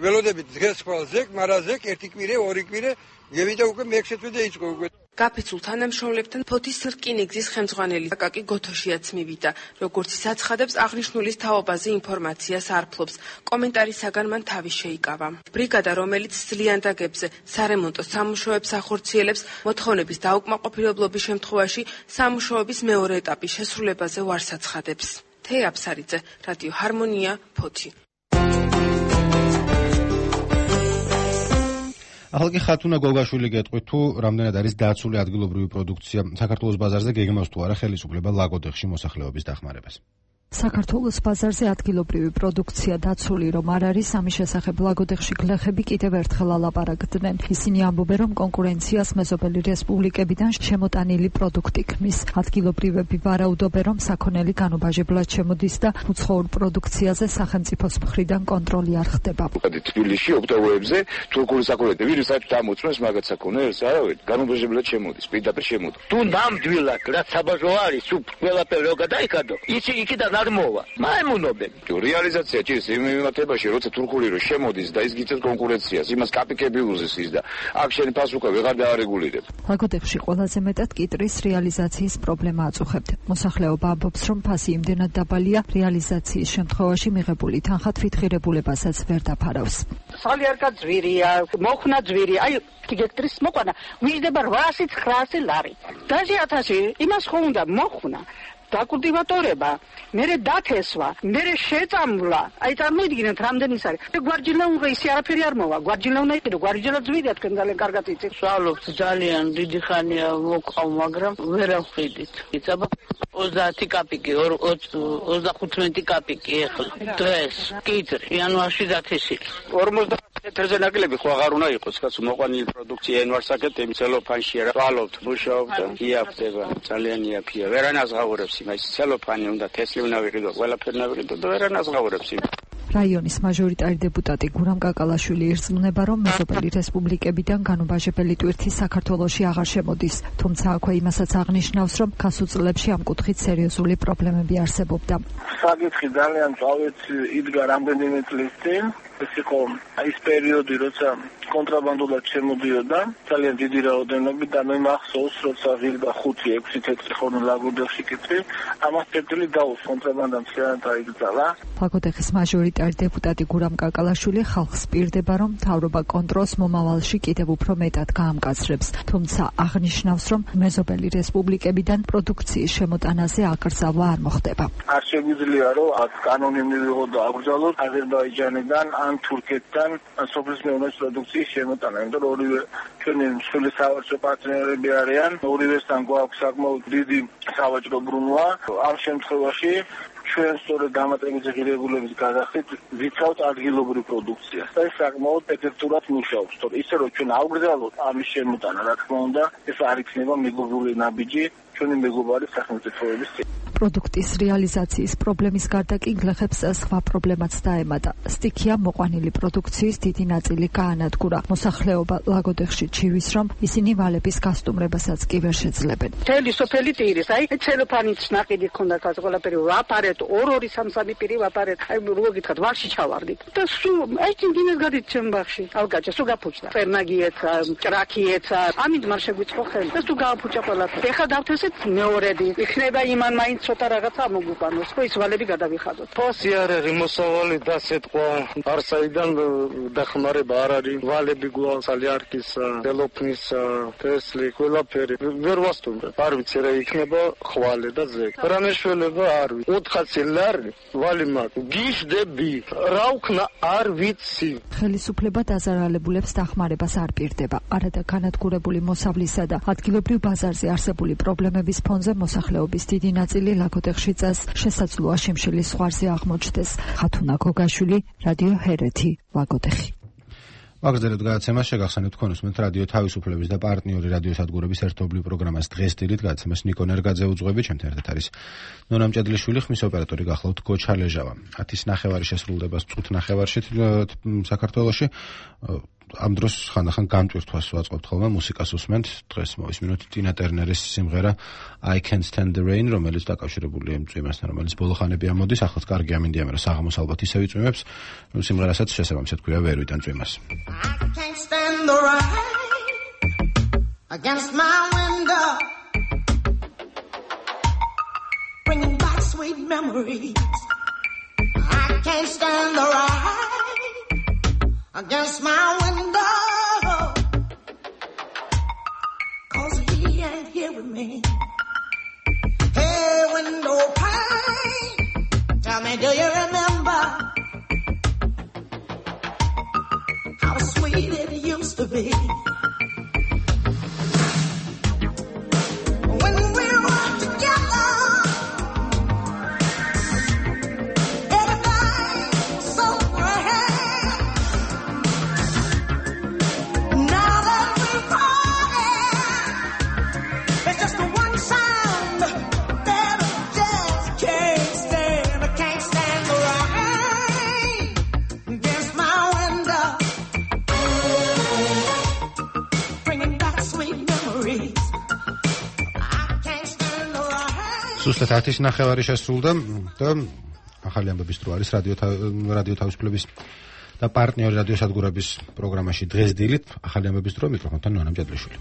ველოდებით დღეს ხვალ ზეკ, მარა ზეკ, ერთი კვირე, ორი კვირე, გევიდა უკვე მეექვსე თვე დაიწყო უკვე. გაფიცულ თანამშრომლებთან ფოთის რკინიგზის ხელმძღვანელი აკაკი გოთოშიაც მივიდა. როგორც ის აცხადებს, აღნიშნულის თაობაზე ინფორმაციას არ ფლობს. კომენტარისაგან მან თავი შეიკავა. ბრიგადა, რომელიც სლიანდაგებზე სარემონტო სამუშაოებს ახორციელებს, მოთხოვნების დაუკმაყოფილებლობის შემთხვევაში სამუშაოების მეორე ეტაპის შესრულებაზე ვარს აცხადებს. თეა აფსარიძე, რადიო ჰარმონია, ფოთი. ახალკი ხათუნა გოგაშვილი გეტყვით, თუ რამდენად არის დაცული ადგილობრივი პროდუქცია საქართველოს ბაზარზე, გეგმავს თუ არა ხელისუფლება ლაგოდეხში მოსახლეობის დახმარებას. საქართველოს ბაზარზე ადგილობრივი პროდუქცია დაცული რომ არ არის, ამის შესახებ ლაგოდეხში გლეხები კიდევ ერთხელ ალაპარაკდნენ. ისინი ამბობენ, რომ კონკურენციას მეზობელი რესპუბლიკებიდან შემოტანილი პროდუქტი ქმნის. ადგილობრივები ვარაუდობენ, რომ საქონელი განუბაჟებლად შემოდის და უცხოურ პროდუქციაზე სახელმწიფოს მხრიდან კონტროლი არ ხდება. თბილისში ოქტომბერზე თურქული საქონელი ვირus საერთოდ ამოწმებს მაგათ საქონელს, არავინ განუბაჟებლად შემოდის, პირდაპირ შემოდის. თუ ნამდვილად რაც საბაჟო არის, თუ ყველაფერი რო გადაიქადო, იცი იქიდან არ მოვა. მაიმუნობენ. რეალიზაცია ჭირს იმ მიმართებაში, როცა თურქული რო შემოდის და ის გიწევს კონკურენციას, იმას კაპიკები უზის ის და აქ შენი პასუხი ვეღარ დაარეგულირებ. ლაგოდეხში ყველაზე მეტად კიტრის რეალიზაციის პრობლემა აწუხებთ. მოსახლეობა ამბობს, რომ ფასი იმდენად დაბალია, რეალიზაციის შემთხვევაში მიღებული თანხა თვითღირებულებასაც ვერ დაფარავს. სალიერკა ძვირია, მოხნა ძვირი, აი გექტრის მოყვანა, ვიждება რვაასი ცხრაასი ლარი. დაჟე ათასი იმას ხო უნდა მოხნა. დაკულტივატორება, მერე დათესვა, მერე შეწამვლა. აი წარმოიდგინეთ რამდენი ის არის. გვარჯილა უნდა ისე არაფერი არ მოვა. გვარჯილა უნდა იყიდო, გვარჯილა ძვირია თქვენ ძალიან კარგად იცით. სვალობთ ძალიან დიდი ხანია მოკავ, მაგრამ ვერ ავხიდით. იცაბა ოცდაათი კაპიკი, ოცდახუთმეტი კაპიკი ეხლა. დღეს კიტრი, იანვარში დათესი. ორმოცდაათი მეთრზე ნაკლები ხო აღარ უნდა იყოს, კაცო, მოყვანილი პროდუქცია ენვარსაკეთები ცელოფანში არა. სვალობთ, მუშაობთ, იაფდება, ძალიან იაფია. ვერანაზღაურებს იმას ცელოფანი უნდა თესლი უნდა ვიყიდო, ყველაფერი უნდა ვიყიდო და ვერანაზღაურებს იმ. რაიონის მაჟორიტარი დეპუტატი გურამ კაკალაშვილი ირწმუნება, რომ მეზობელი რესპუბლიკებიდან განუბაჟებელი ტვირთი საქართველოში აღარ შემოდის. თუმცა აქვე იმასაც აღნიშნავს, რომ გასულ წლებში ამ კუთხით სერიოზული პრობლემები არსებობდა. საკითხი ძალიან წავით იდგა რამდენიმე წლის წინ. ეს იყო ის პერიოდი, როცა კონტრაბანდულად შემოდიოდა ძალიან დიდი რაოდენობით და მე მახსოვს, როცა ღირდა ხუთი ექვსი თეთრი ხორნი ლაგოდეხში კიტრი, ამას წერტილი დაუს კონტრაბანდამ მთლიანად აიგზალა. ლაგოდეხის მაჟორიტარი დეპუტატი გურამ კაკალაშვილი ხალხს პირდება, რომ მთავრობა კონტროლს მომავალში კიდევ უფრო მეტად გაამკაცრებს, თუმცა აღნიშნავს, რომ მეზობელი რესპუბლიკებიდან პროდუქციის შემოტანაზე აკრძალვა არ მოხდება. არ შეგვიძლია, რომ აქ კანონი მივიღოთ და აკრძალოთ აზერბაიჯანიდან ან თურქეთთან სოფლის მეურნეობის პროდუქციის შემოტანა, იმიტომ რომ ორივე ჩვენი მსხვილი სავაჭრო პარტნიორები არიან, ორივესთან გვაქვს საკმაოდ დიდი სავაჭრო ბრუნვა. ამ შემთხვევაში ჩვენ სწორედ დამატებითი ღირებულების გადახდით ვიცავთ ადგილობრივ პროდუქციას და ეს საკმაოდ ეფექტურად მუშაობს. თორე ისე რომ ჩვენ ავგრძელოთ ამის შემოტანა, რა თქმა უნდა, ეს არ იქნება მეგობრული ნაბიჯი ჩვენი მეგობარი სახელმწიფოების წინ. პროდუქტის რეალიზაციის პრობლემის გარდა კი გლეხებს სხვა პრობლემაც დაემატა. სტიქია მოყვანილი პროდუქციის დიდი ნაწილი გაანადგურა. მოსახლეობა ლაგოდეხში ჩივის, რომ ისინი ვალების გასტუმრებასაც კი ვერ შეძლებენ. მთელი სოფელი ტირის, აი ცელოფანით ნაყიდი ქონდა კაც ყველაფერი ვაპარეთ, ორ-ორი სამ-სამი პირი ვაპარეთ. აი რო გითხრათ, ვარში ჩავარდით. და სულ აი ძინეს გადით ჩემ ბაღში. ალგაჭა სულ გაფუჭდა. პერნაგიეცა, ჭრაქიეცა, ამით მარ შეგვიწყო ხელი. და სულ გააფუჭა ყველაფერი. ეხლა დავთესეთ მეორედი. იქნება იმან მაინც ცოტა რაღაცა მოგვიყვანოს, ხო ის ვალები გადავიხადოთ. ფასი არ არის, მოსავალი დასეთყვა, არსაიდან დახმარება არ არის. ვალები გვაქვს, სალიარკისა, დელოფნისა, თესლი, ყველაფერი. ვერ ვასტუმრებ. არ ვიცი რა იქნება ხვალე და ზეგ. რა მეშველება არ ვიცი. ოთხასი ლარი ვალი მაქვს. გიჟდები. რა ვქნა არ ვიცი. ხელისუფლება დაზარალებულებს დახმარებას არ პირდება. არადა განადგურებული მოსავლისა და ადგილობრივ ბაზარზე არსებული პრობლემების ფონზე მოსახლეობის დიდი ნაწილი ლაგოდეხში წას შესაძლოა შიმშილის ზღვარზე აღმოჩნდეს. ხათუნა გოგაშვილი, რადიო ჰერეთი, ლაგოდეხი. ვაგრძელებთ გადაცემას, შეგახსენებთ თქვენ უსმენთ რადიო თავისუფლების და პარტნიორი რადიოსადგურების ერთობლივ პროგრამას დღეს დილით გადაცემას ნიკო ნერგაძე უძღვებით, ჩემთან ერთად არის ნონა მჭედლიშვილი, ხმის ოპერატორი გახლავთ გოჩა ლეჟავა. ათის ნახევარი შესრულდება წუთ ნახევარში საქართველოში. ამ დროს ხანდახან გამტვირთვას ვაწყობთ ხოლმე, მუსიკას უსმენთ. დღეს მოვისმინოთ ტინა ტერნერის სიმღერა I Can't Stand the Rain, რომელიც დაკავშირებულია იმ წვიმასთან, რომელიც ბოლო ხანები ამოდის. ახლაც კარგი ამინდია, მაგრამ საღამოს ალბათ ისევ იწვიმებს. სიმღერასაც შესაბამისად ქვია ვერ ვიტან წვიმას. I can't stand the rain against my window, bringing back sweet memories. I can't stand the rain against my window, 'cause he ain't hearing me. Hey, window pane, tell me, do you remember how sweet it used to be? When we were together, სუსტად ათის ნახევარი შესრულდა და ახალი ამბების დრო არის რადიო რადიო თავისუფლების და პარტნიორი რადიო სადგურების პროგრამაში დღეს დილით ახალი ამბების დრო მიკროფონთან ნონა მჭედლიშვილი.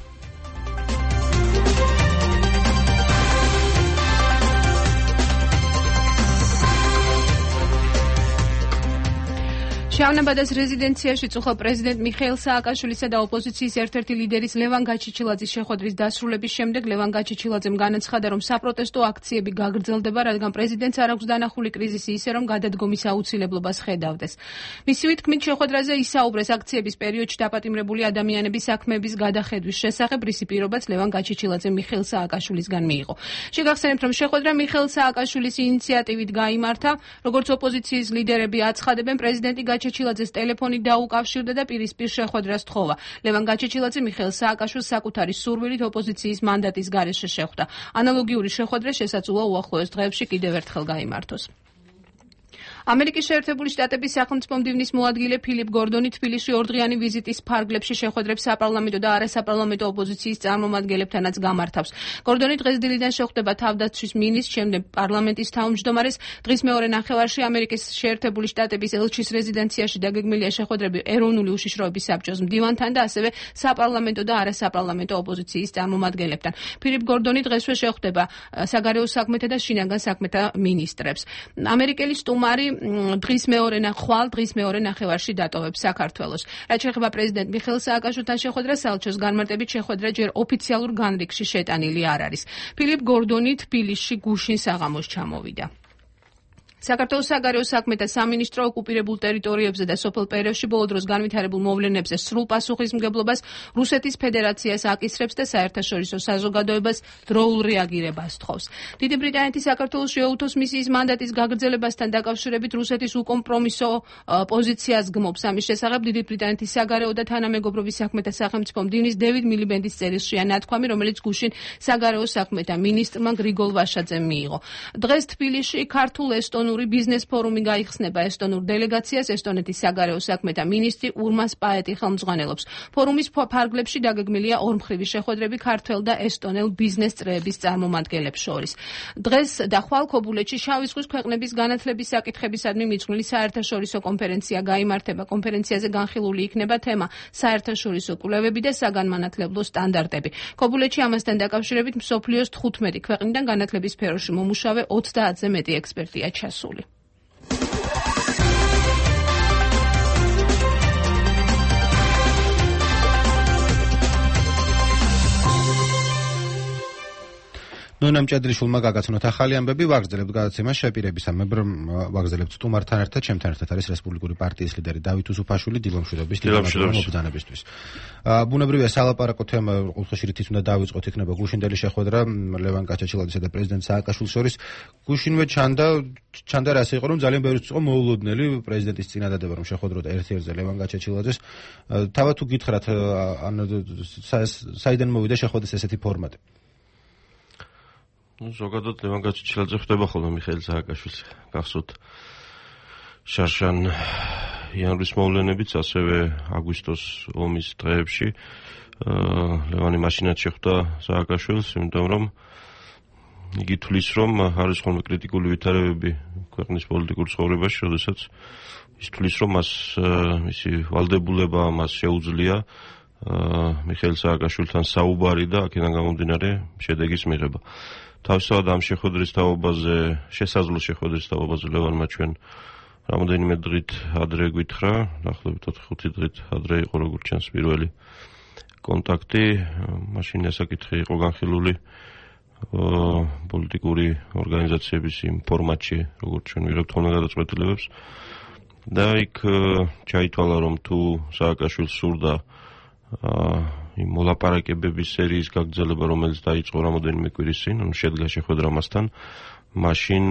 შავნაბადეს რეზიდენციაში წუხელ პრეზიდენტ მიხეილ სააკაშვილისა და ოპოზიციის ერთ-ერთი ლიდერის ლევან გაჩიჩილაძის შეხვედრის დასრულების შემდეგ ლევან გაჩიჩილაძემ განაცხადა, რომ საპროტესტო აქციები გაგრძელდება, რადგან პრეზიდენტს არ აქვს დანახული კრიზისი ისე, რომ გადადგომის აუცილებლობას ხედავდეს. მისივე თქმით, შეხვედრაზე ისაუბრეს აქციების პერიოდში დაპატიმრებული ადამიანების საქმეების გადახედვის შესახებ, რისი პირობაც ლევან გაჩიჩილაძემ მიხეილ სააკაშვილისგან მიიღო. შეგახსენებთ, რომ შეხვედრა მიხეილ სააკაშვილის ინიციატივით გაიმართა, როგორც ოპოზიციის ლიდერები აცხადებენ, პრეზიდენტი გაჩიჩილაძეს ტელეფონი დაუკავშირდა და პირისპირ შეხვედრას თხოვა. ლევან გაჩიჩილაძე მიხეილ სააკაშვილს საკუთარი სურვილით ოპოზიციის მანდატის გარეშე შეხვდა. ანალოგიური შეხვედრა შესაძლოა უახლოეს დღეებში კიდევ ერთხელ გაიმართოს. ამერიკის შეერთებული შტატების სახელმწიფო მდივნის მოადგილე ფილიპ გორდონი თბილისში ორდღიანი ვიზიტის ფარგლებში შეხვედრებს საპარლამენტო და არასაპარლამენტო ოპოზიციის წარმომადგენლებთანაც გამართავს. გორდონი დღეს დილიდან შეხვდება თავდაცვის მინისტრს, შემდეგ პარლამენტის თავმჯდომარეს. დღის მეორე ნახევარში ამერიკის შეერთებული შტატების ელჩის რეზიდენციაში დაგეგმილია შეხვედრები ეროვნული უშიშროების საბჭოს მდივანთან და ასევე საპარლამენტო და არასაპარლამენტო ოპოზიციის წარმომადგენლებთან. ფილიპ გორდონი დღესვე შეხვდება საგარეო საქმეთა და შინაგან საქმეთა მინისტრებს. ამერიკელი სტუმარი დღის მეორე ხვალ დღის მეორე ნახევარში დატოვებს საქართველოს. რაც შეეხება პრეზიდენტ მიხეილ სააკაშვილთან შეხვედრას, საელჩოს განმარტებით შეხვედრა ჯერ ოფიციალურ განრიგში შეტანილი არ არის. ფილიპ გორდონი თბილისში გუშინ საღამოს ჩამოვიდა. საქართველოს საგარეო საქმეთა სამინისტრო ოკუპირებულ ტერიტორიებზე და სოფელ პერევში ბოლო დროს განვითარებულ მოვლენებზე სრულ პასუხისმგებლობას რუსეთის ფედერაციას აკისრებს და საერთაშორისო საზოგადოებას დროულ რეაგირებას თხოვს. დიდი ბრიტანეთის საქართველოს შეუერთოს მისიის მანდატის გაგრძელებასთან დაკავშირებით რუსეთის უკომპრომისო პოზიციას გმობს. ამის შესახებ დიდი ბრიტანეთის საგარეო და თანამეგობრობის საქმეთა სახელმწიფო მდივნის დევიდ მილიბენდის წერილშია ნათქვამი, რომელიც გუშინ საგარეო საქმეთა მინისტრმა გრიგოლ ვაშაძემ მიიღო. დღეს თბილისში ქართულ ესტონურ ბიზნეს ფორუმი გაიხსნება. ესტონურ დელეგაციას ესტონეთის საგარეო საქმეთა მინისტრი ურმას პაეტი ხელმძღვანელობს. ფორუმის ფარგლებში დაგეგმილია ორმხრივი შეხვედრები ქართველ და ესტონელ ბიზნეს წრეების წარმომადგენლებს შორის. დღეს და ხვალ ქობულეთში შავი ზღვის ქვეყნების განათლების საკითხებისადმი მიძღვნილი საერთაშორისო კონფერენცია გაიმართება. კონფერენციაზე განხილული იქნება თემა საერთაშორისო კვლევები და საგანმანათლებლო სტანდარტები. ქობულეთში ამასთან დაკავშირებით მსოფლიოს თხუთმეტი ქვეყნიდან განათლების სფეროში მომუშავე ოცდაათზე მეტი ექსპერტია ჩასული. ნონა მჭედლიშვილმა გაგაცნოთ ახალი ამბები, ვაგრძელებთ გადაცემას შეპირებისამებრ ვაგრძელებთ სტუმართან ერთად, ჩემთან ერთად არის რესპუბლიკური პარტიის ლიდერი დავით უსუფაშვილი დილომშვიდობის მობრძანებისთვის. ბუნებრივია სალაპარაკო თემა ყოველთვის რითიც უნდა დავიწყოთ, იქნება გუშინდელი შეხვედრა ლევან გაჩიჩილაძისა და პრეზიდენტ სააკაშვილის შორის. გუშინვე ჩანდა ჩანდა რას იყო, რომ ძალიან ბევრი იყო მოულოდნელი პრეზიდენტის წინადადება, რომ შეხვედროდა ერთ-ერთზე ლევან გაჩიჩილაძეს. თავად თუ გითხრათ, ან საიდან მოვიდა შეხვედრის ესეთი ფორმატი? ну ზოგადად ლევან გაჩიჩილაძე ხდება ხოლმე მიხეილ სააკაშვილს გახსოვთ შარშან იანვრის მოვლენებიც, ასევე აგვისტოს ომის დღეებში ლევანი მაშინაც შეხვდა სააკაშვილს, იმიტომ რომ იგი თვლის, რომ არის ხოლმე კრიტიკული ვითარებები ქვეყნის პოლიტიკურ ცხოვრებაში, როდესაც ის თვლის, რომ მას მისი ვალდებულება მას შეუძლია მიხეილ სააკაშვილთან საუბარი და აქედან გამომდინარე შედეგის მიღება. თავისთავად ამ შეხვედრის თაობაზე, შესაძლო შეხვედრის თაობაზე ლევანმა ჩვენ რამოდენიმე დღით ადრე გითხრა, დაახლოებით ოთხი-ხუთი დღით ადრე იყო როგორც ჩანს პირველი კონტაქტი, მაშინ ასაკითხი იყო განხილული პოლიტიკური ორგანიზაციების იმ ფორმატში, როგორც ჩვენ ვიღებთ ხოლმე გადაწყვეტილებებს და იქ ჩაითვალა, რომ თუ სააკაშვილს სურდა იმ მოლაპარაკებების სერიის გაგრძელება, რომელიც დაიწყო რამოდენიმე კვირის წინ, ანუ შედგა შეხვედრა მასთან, მაშინ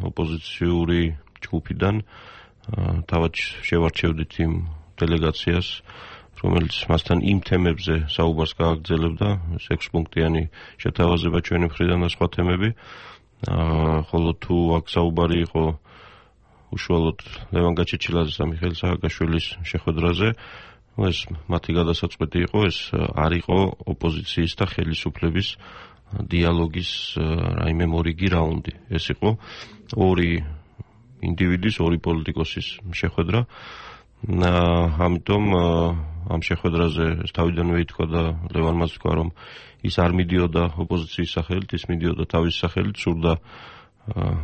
ოპოზიციური ჯგუფიდან თავად შევარჩევდით იმ დელეგაციას, რომელიც მასთან იმ თემებზე საუბარს გააგრძელებდა, ექვსპუნქტიანი შეთავაზება ჩვენი მხრიდან და სხვა თემები, ხოლო თუ აქ საუბარი იყო უშუალოდ ლევან გაჩიჩილაძეს და მიხეილ სააკაშვილის შეხვედრაზე, ეს მათი გადასაწყვეტი იყო, ეს არ იყო ოპოზიციის და ხელისუფლების დიალოგის რაიმე მორიგი რაუნდი. ეს იყო ორი ინდივიდის, ორი პოლიტიკოსის შეხვედრა. ამიტომ ამ შეხვედრაზე თავიდანვე ითქვა და ლევანმაც თქვა, რომ ის არ მიდიოდა ოპოზიციის სახელით, ის მიდიოდა თავის სახელით, სურდა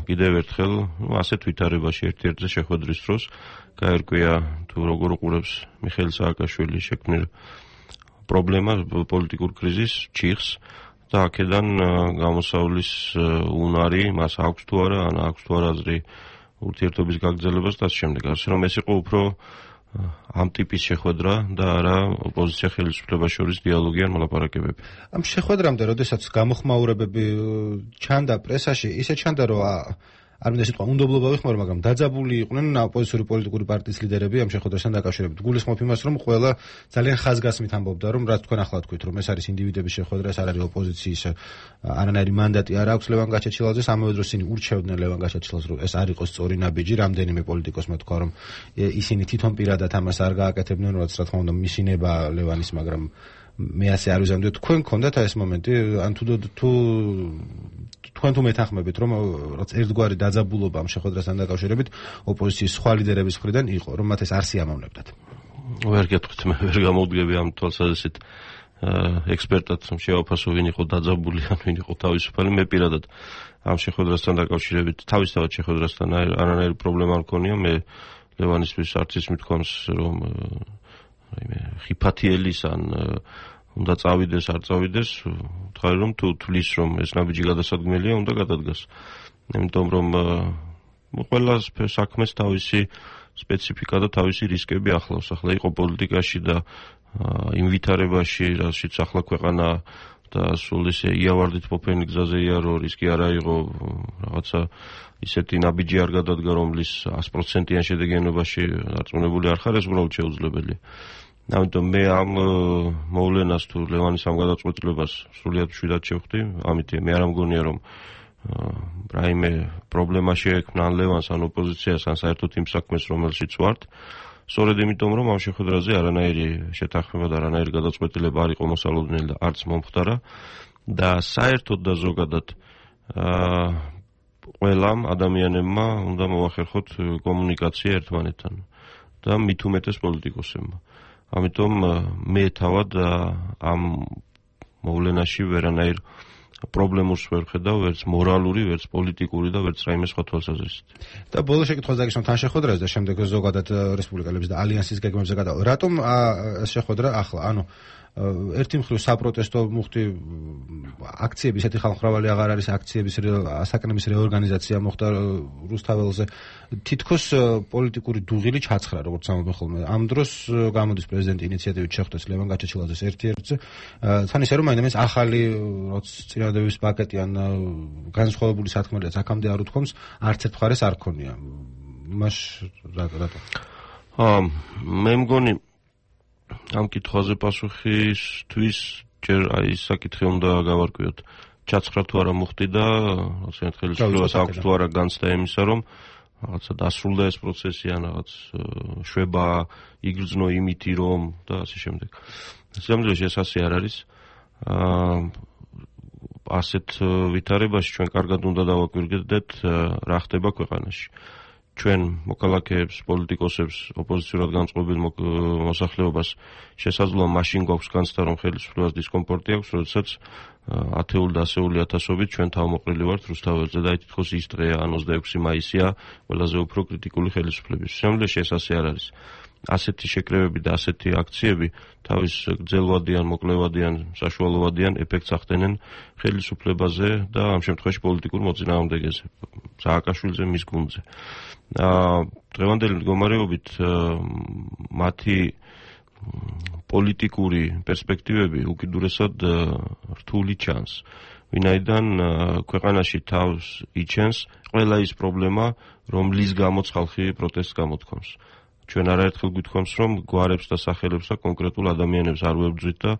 კიდევ ერთხელ, ну, ასეთ ვითარებაში ერთ-ერთზე შეხვედრის დროს გაერკვია თუ როგორ უყურებს მიხეილ სააკაშვილი შექმნილ პრობლემას, პოლიტიკურ კრიზისს, ჩიხს და აქედან გამოსავლის უნარი მას აქვს თუ არა, ან აქვს თუ არა აზრი ურთიერთობის გაგრძელებას და ამ შემდეგ. ასე რომ ეს იყო უფრო ამ ტიპის შეხვედრა და არა ოპოზიცია ხელისუფლებას შორის დიალოგი ან მოლაპარაკებები. ამ შეხვედრამდე, როდესაც გამოხმაურებები ჩანდა პრესაში, ისე ჩანდა, რომ არ მინდა სიტყვა უნდობლობა ვიხმარო, მაგრამ დაძაბული იყვნენ ოპოზიციური პოლიტიკური პარტიის ლიდერები ამ შეხვედრასთან დაკავშირებით. გულისხმობ იმას, რომ ყველა ძალიან ხაზგასმით ამბობდა, რომ რაც თქვენ ახლა თქვით, რომ ეს არის ინდივიდების შეხვედრა, ეს არ არის ოპოზიციის არანაირი მანდატი არ აქვს ლევან გაჩეჩილაძეს, ამავე დროს ისინი ურჩევდნენ ლევან გაჩეჩილაძეს, რომ ეს არ იყოს სწორი ნაბიჯი, რამდენიმე პოლიტიკოსმა თქვა, რომ ისინი თვითონ პირადად ამას არ გააკეთებდნენ, რაც რა თქმა უნდა მისინება ლევანის, მაგრამ მე ასე არ ვიზამდი, თქვენ გქონდათ ეს მომენტი, ან თუ თუ თქვენ თუ მეთანხმებით, რომ რაც ერთგვარი დაძაბულობა ამ შეხვედრასთან დაკავშირებით ოპოზიციის სხვა ლიდერების მხრიდან იყო, რომ მათ ეს არ სიამოვნებდათ. ვერ გეტყვით, მე ვერ გამოვდგები ამ თვალსაზრისით ექსპერტად, რომ შევაფასო ვინ იყო დაძაბული, ან ვინ იყო თავისუფალი. მე პირადად ამ შეხვედრასთან დაკავშირებით, თავისთავად შეხვედრასთან არანაირი პრობლემა არ მქონია. მე ლევანისთვის არც ის მithქვამს, რომ რაიმე ხიფათიელის ან უნდა წავიდეს, არ წავიდეს, თქვა რომ თუ თulis რომ ეს ნაბიჯი გადასადგმელია, უნდა გადადგას. იმიტომ რომ ყველა საქმეს თავისი სპეციფიკა და თავისი რისკები ახლავს. ახლა იყო პოლიტიკაში და იმ ვითარებაში, რაშიც ახლა ქვეყანა და სულ ისე იავარდით ყოფენი გზაზე იარო, რისკი არ აიღო, რაღაცა ისეთი ნაბიჯი არ გადადგა, რომლის sto პროცენტიან შედეგიანობაში დარწმუნებული არ ხარ, ეს უბრალოდ შეუძლებელია. ამიტომ მე ამ მოვლენას თუ ლევანის ამ გადაწყვეტილებას სრულიად მშვიდად შევხვდი, ამიტომ მე არ მგონია რომ რაიმე პრობლემა შეექმნა ან ლევანს ან ოპოზიციას ან საერთოდ იმ საქმეს რომელშიც ვართ. სწორედ იმიტომ რომ ამ შეხვედრაზე არანაირი შეთანხმება და არანაირი გადაწყვეტილება არ იყო მოსალოდნელი და არც მომხდარა და საერთოდ და ზოგადად ყველამ ადამიანებმა უნდა მოახერხოთ კომუნიკაცია ერთმანეთთან და მით უმეტეს პოლიტიკოსებმა. ამიტომ მე თავად ამ მოვლენაში ვერანაირ პრობლემას ვერ ხედავ, ვერც მორალური, ვერც პოლიტიკური და ვერც რაიმე სხვა თვალსაზრისით. და ბოლო შეკითხვას დაგისვამ თან შეხვედრაზე და შემდეგ ზოგადად რესპუბლიკელების და ალიანსის გეგმებზე გადავა. რატომ ეს შეხვედრა ახლა? ანუ ერთი მხრივ საპროტესტო მუხტი აქციები, ესეთი ხალხმრავალი აღარ არის, აქციების საკანების რეორგანიზაცია მოხდა რუსთაველზე. თითქოს პოლიტიკური დუღილი ჩაცხრა, როგორც ამბობენ ხოლმე. ამ დროს გამოდის პრეზიდენტი ინიციატივით შეხვდეს ლევან გაჩეჩილაძეს ერთ-ერთზე. თან ისე რომ მაინც ახალი რაც წინადადების პაკეტი ან განსხვავებული სათქმელია აქამდე არ უთქვამს, არც ერთ მხარეს არ ქონია. მას რატო? აა მე მგონი ამ კითხვაზე პასუხისთვის ჯერ აი ეს საკითხი უნდა გავარკვიოთ. ჩაცხრა თუ არა მოხდი და ასე ხელისუფლებას აქვს თუ არა განცდა იმისა, რომ რაღაცა დასრულდა ეს პროცესი ან რაღაც შვება იგრძნო იმითი რომ და ასე შემდეგ. სამწუხაროდ ეს ასე არ არის. აა ასეთ ვითარებაში ჩვენ კარგად უნდა დავაკვირდეთ რა ხდება ქვეყანაში. ჩვენ მოქალაქეებს, პოლიტიკოსებს, ოპოზიციურად განწყობილ მოსახლეობას შესაძლოა მაშინ გვაქვს განცდა, რომ ხელისუფლებას დისკომფორტი აქვს, როდესაც ათეული და ასეული ათასობით ჩვენ თავმოყრილი ვართ რუსთაველზე და თითქოს ის დღეა, ან ოცდაექვსი მაისია, ყველაზე უფრო კრიტიკული ხელისუფლების. შემდგომში ეს ასე არ არის. ასეთი შეკრებები და ასეთი აქციები თავის გრძელვადიან, მოკლევადიან, საშუალოვადიან ეფექტს ახდენენ ხელისუფლებაზე და ამ შემთხვევაში პოლიტიკურ მოწინააღმდეგეზე, სააკაშვილზე, მის გუნდზე. დღევანდელი მდგომარეობით მათი პოლიტიკური პერსპექტივები უკიდურესად რთული ჩანს. ვინაიდან ქვეყანაში თავს იჩენს ყველა ის პრობლემა, რომლის გამოც ხალხი პროტესტს გამოთქვამს. ჩვენ არაერთხელ გვითქვამს, რომ გვარებს და სახელებს და კონკრეტულ ადამიანებს არ ვებრძვით და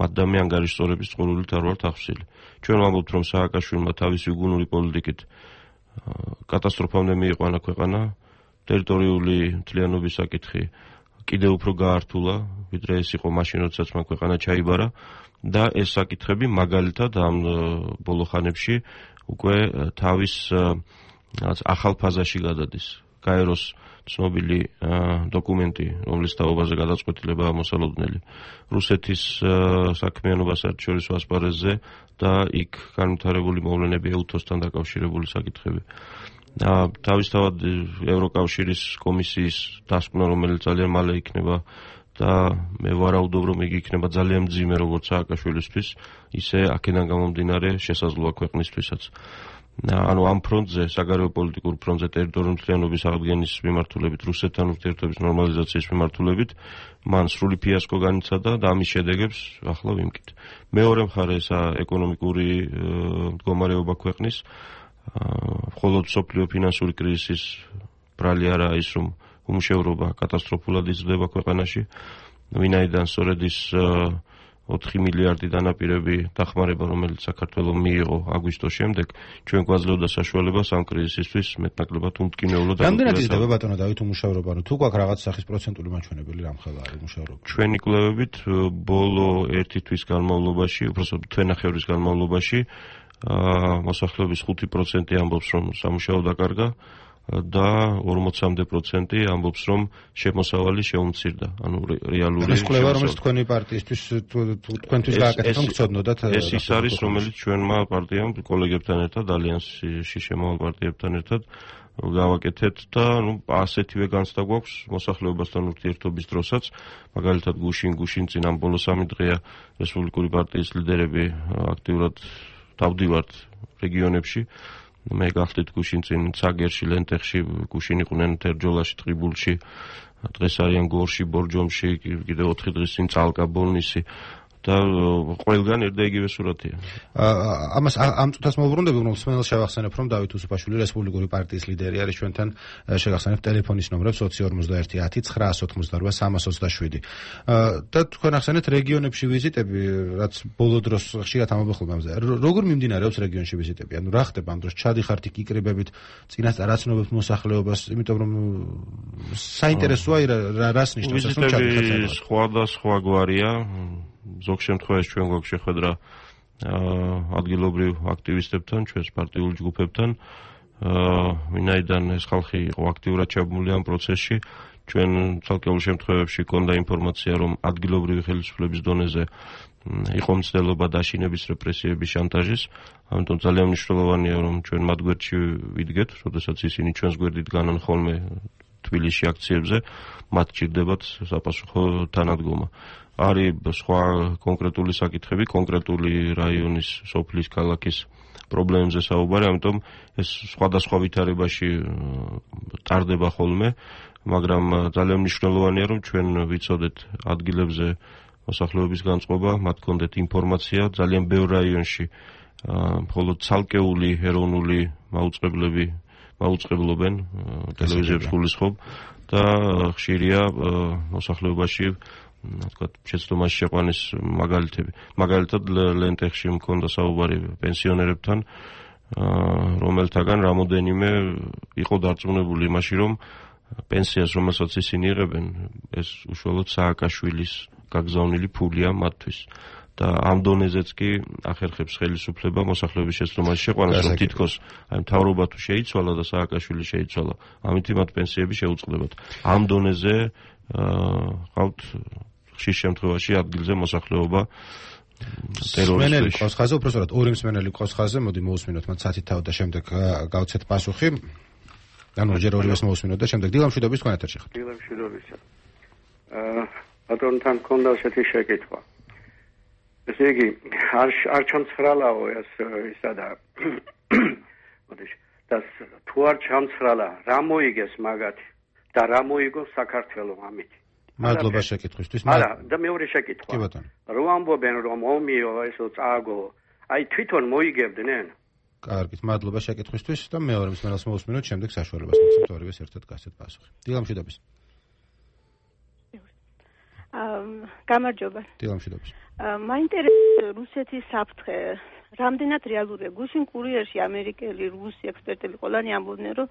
მათ და მე ანგარიშწორების წყურვილით არ ვართ ახსილი. ჩვენ ვამბობთ, რომ სააკაშვილმა თავისი უგუნური პოლიტიკით კატასტროფამდე მიიყვანა ქვეყანა, ტერიტორიული მთლიანობის საკითხი კიდევ უფრო გაართულა, ვიდრე ეს იყო მაშინ, როდესაც მან ქვეყანა ჩაიბარა და ეს საკითხები მაგალითად ამ ბოლო ხანებში უკვე თავის ახალ ფაზაში გადადის. გაეროს ცნობილი დოკუმენტი, რომლის თაობაზე გადაწყვეტილებაა მოსალოდნელი რუსეთის საქმიანობა საერთაშორისო ასპარეზზე და იქ განვითარებული მოვლენები ეუთოსთან დაკავშირებული საკითხები. თავისთავად ევროკავშირის კომისიის დასკვნა, რომელიც ძალიან მალე იქნება და მე ვარაუდობ, რომ იგი იქნება ძალიან მძიმე როგორც სააკაშვილისთვის, ისე აქედან გამომდინარე შესაძლოა ქვეყნისთვისაც. ანუ ამ ფრონტზე, საგარეო პოლიტიკურ ფრონტზე ტერიტორიული მთლიანობის აღდგენის მიმართულებით, რუსეთთან ურთიერთობის ნორმალიზაციის მიმართულებით, მან სრული ფიასკო განიცადა და ამის შედეგებს ახლა ვიმკით. მეორე მხარესა ეკონომიკური მდგომარეობა ქვეყნის, მხოლოდ მსოფლიო ფინანსური კრიზისის ბრალი არაა ის, რომ უმუშევრობა კატასტროფულად იზრდება ქვეყანაში, ვინაიდან სწორედ ის ოთხი მილიარდი დანაპირები დახმარება, რომელიც საქართველოს მიიღო აგვისტოს შემდეგ, ჩვენ გვაძლევდა საშუალებას ამ კრიზისისთვის მეტნაკლებად უმტკინეულო და რამდენად იზრდება ბატონო დავით უმუშევრობა, ანუ თუ გვაქვს რაღაც სახის პროცენტული მაჩვენებელი რამხელა არის უმუშევრობა? ჩვენი კვლევებით ბოლო ერთი თვის განმავლობაში, უბრალოდ თვენახევრის განმავლობაში მოსახლეობის ხუთი პროცენტი ამბობს, რომ სამუშაო დაკარგა და ორმოცამდე პროცენტი ამბობს, რომ შემოსავალი შეუმცირდა. ანუ რეალური ეს კვლევა, რომელიც თქვენი პარტიისთვის თქვენთვის გააკეთეთ, რომ გწოდნოდათ ეს ის არის, რომელიც ჩვენმა პარტიამ კოლეგებთან ერთად, ალიანსში შემავალ პარტიებთან ერთად გავაკეთეთ და ნუ ასეთივე განცდა გვაქვს მოსახლეობასთან ურთიერთობის დროსაც. მაგალითად გუშინ გუშინ წინ ამ ბოლო სამი დღეა რესპუბლიკური პარტიის ლიდერები აქტიურად დავდივართ რეგიონებში. მე გახდით გუშინ წინ ცაგერში, ლენტეხში, გუშინ იყვნენ თერჯოლაში, ტყიბულში, დღეს არიან გორში, ბორჯომში, კიდე ოთხი დღის წინ წალკა, ბოლნისი და ყველგან ერთ და იგივე სურათია. ამას ამ წუთას მოვუბრუნდები, რომ მსმენელს შევახსენებ, რომ დავით უსუფაშვილი რესპუბლიკური პარტიის ლიდერი არის ჩვენთან, შეგახსენებ ტელეფონის ნომრებს ოთხი ორმოცდაერთი ათი ცხრაასი ოცდაოთხმოცდაოთხ სამას ოცდაშვიდი. და თქვენ ახსენეთ რეგიონებში ვიზიტები, რაც ბოლო დროს ხშირად ამობხდება ამაზე. როგორ მიმდინარეობს რეგიონში ვიზიტები? ანუ რა ხდება ამ დროს? ჩადიხართ იქ იკრიბებით, წინასწარ აცნობებთ მოსახლეობას, იმიტომ რომ საინტერესოა რა რას ნიშნავს ეს რომ ჩადიხართ? ვიზიტები სხვადასხვა გვარია. ზოგ შემთხვევაში ჩვენ გვაქვს შეხვედრა ადგილობრივ აქტივისტებთან, ჩვენს პარტიულ ჯგუფებთან, ვინაიდან ეს ხალხი იყო აქტიურად ჩაბმული ამ პროცესში, ჩვენ ცალკეულ შემთხვევებში ჰქონდა ინფორმაცია, რომ ადგილობრივი ხელისუფლების დონეზე იყო მცდელობა დაშინების, რეპრესიების, შანტაჟის, ამიტომ ძალიან მნიშვნელოვანია, რომ ჩვენ მათ გვერდში ვიდგეთ, როდესაც ისინი ჩვენს გვერდით განან ხოლმე თბილისში აქციებზე, მათ ჭირდებათ საპასუხო თანადგომა. არის სხვა კონკრეტული საკითხები, კონკრეტული რაიონის, სოფლის, ქალაქის პრობლემებზე საუბარი, ამიტომ ეს სხვადასხვა ვითარებაში ტარდება ხოლმე, მაგრამ ძალიან მნიშვნელოვანია, რომ ჩვენ ვიცოდეთ ადგილებზე მოსახლეობის განწყობა, მათ გქონდეთ ინფორმაცია, ძალიან ბევრ რაიონში მხოლოდ ცალკეული ეროვნული მაუწყებლები მაუწყებლობენ, ტელევიზიებს გულისხმობ და ხშირია მოსახლეობაში თქვათ შეცდომაში შეყვანის მაგალითები. მაგალითად ლენტეხში მქონდა საუბარი პენსიონერებთან, რომელთაგან რამოდენიმე იყო დარწმუნებული იმაში, რომ პენსიას, რომელსაც ისინი იღებენ, ეს უშუალოდ სააკაშვილის გაგზავნილი ფულია მათთვის. და ამ დონეზეც კი ახერხებს ხელისუფლება მოსახლეობის შეცდომაში შეყვანას, რომ თითქოს აი მთავრობა თუ შეიცვალა და სააკაშვილი შეიცვალა, ამით მათ პენსიები შეუწყდებათ. ამ დონეზე ყავთ ხშირ შემთხვევაში ადგილზე მოსახლეობა ტერორისტული ყავს ხაზე, უბრალოდ ორი მსმენელი ყავს ხაზე, მოდი მოусმინოთ მათ სათითაოდ და შემდეგ გავცეთ პასუხი. ანუ ჯერ ორივეს მოусმინოთ და შემდეგ დილამშვიდობის თქვენ ეთერში ხართ. დილამშვიდობისა. აა ბატონთან მქონდა ესეთი შეკითხვა. ესე იგი, არ არ ჩამცხრალაო ეს ისა და მოდიში, და თუ არ ჩამცხრალა, რა მოიგეს მაგათი და რა მოიგო საქართველოს ამით? მადლობა შეკითხვისთვის. არა, და მეორე შეკითხვა. კი ბატონო. რო ამბობენ რომ ომიო ესო წააგო, აი თვითონ მოიგებდნენ? კარგით, მადლობა შეკითხვისთვის და მეორე მსმენელს მოусმინოთ, შემდეგ საშუალებას მოგცემთ ორივეს ერთად გასცეთ პასუხი. დილამშვიდობის. აა, გამარჯობა. დილამშვიდობის. მაინტერესებს რუსეთის საფრთხე, რამდენად რეალურია? გუშინ კურიერში ამერიკელი, რუსი ექსპერტები ყველანი ამბობდნენ, რომ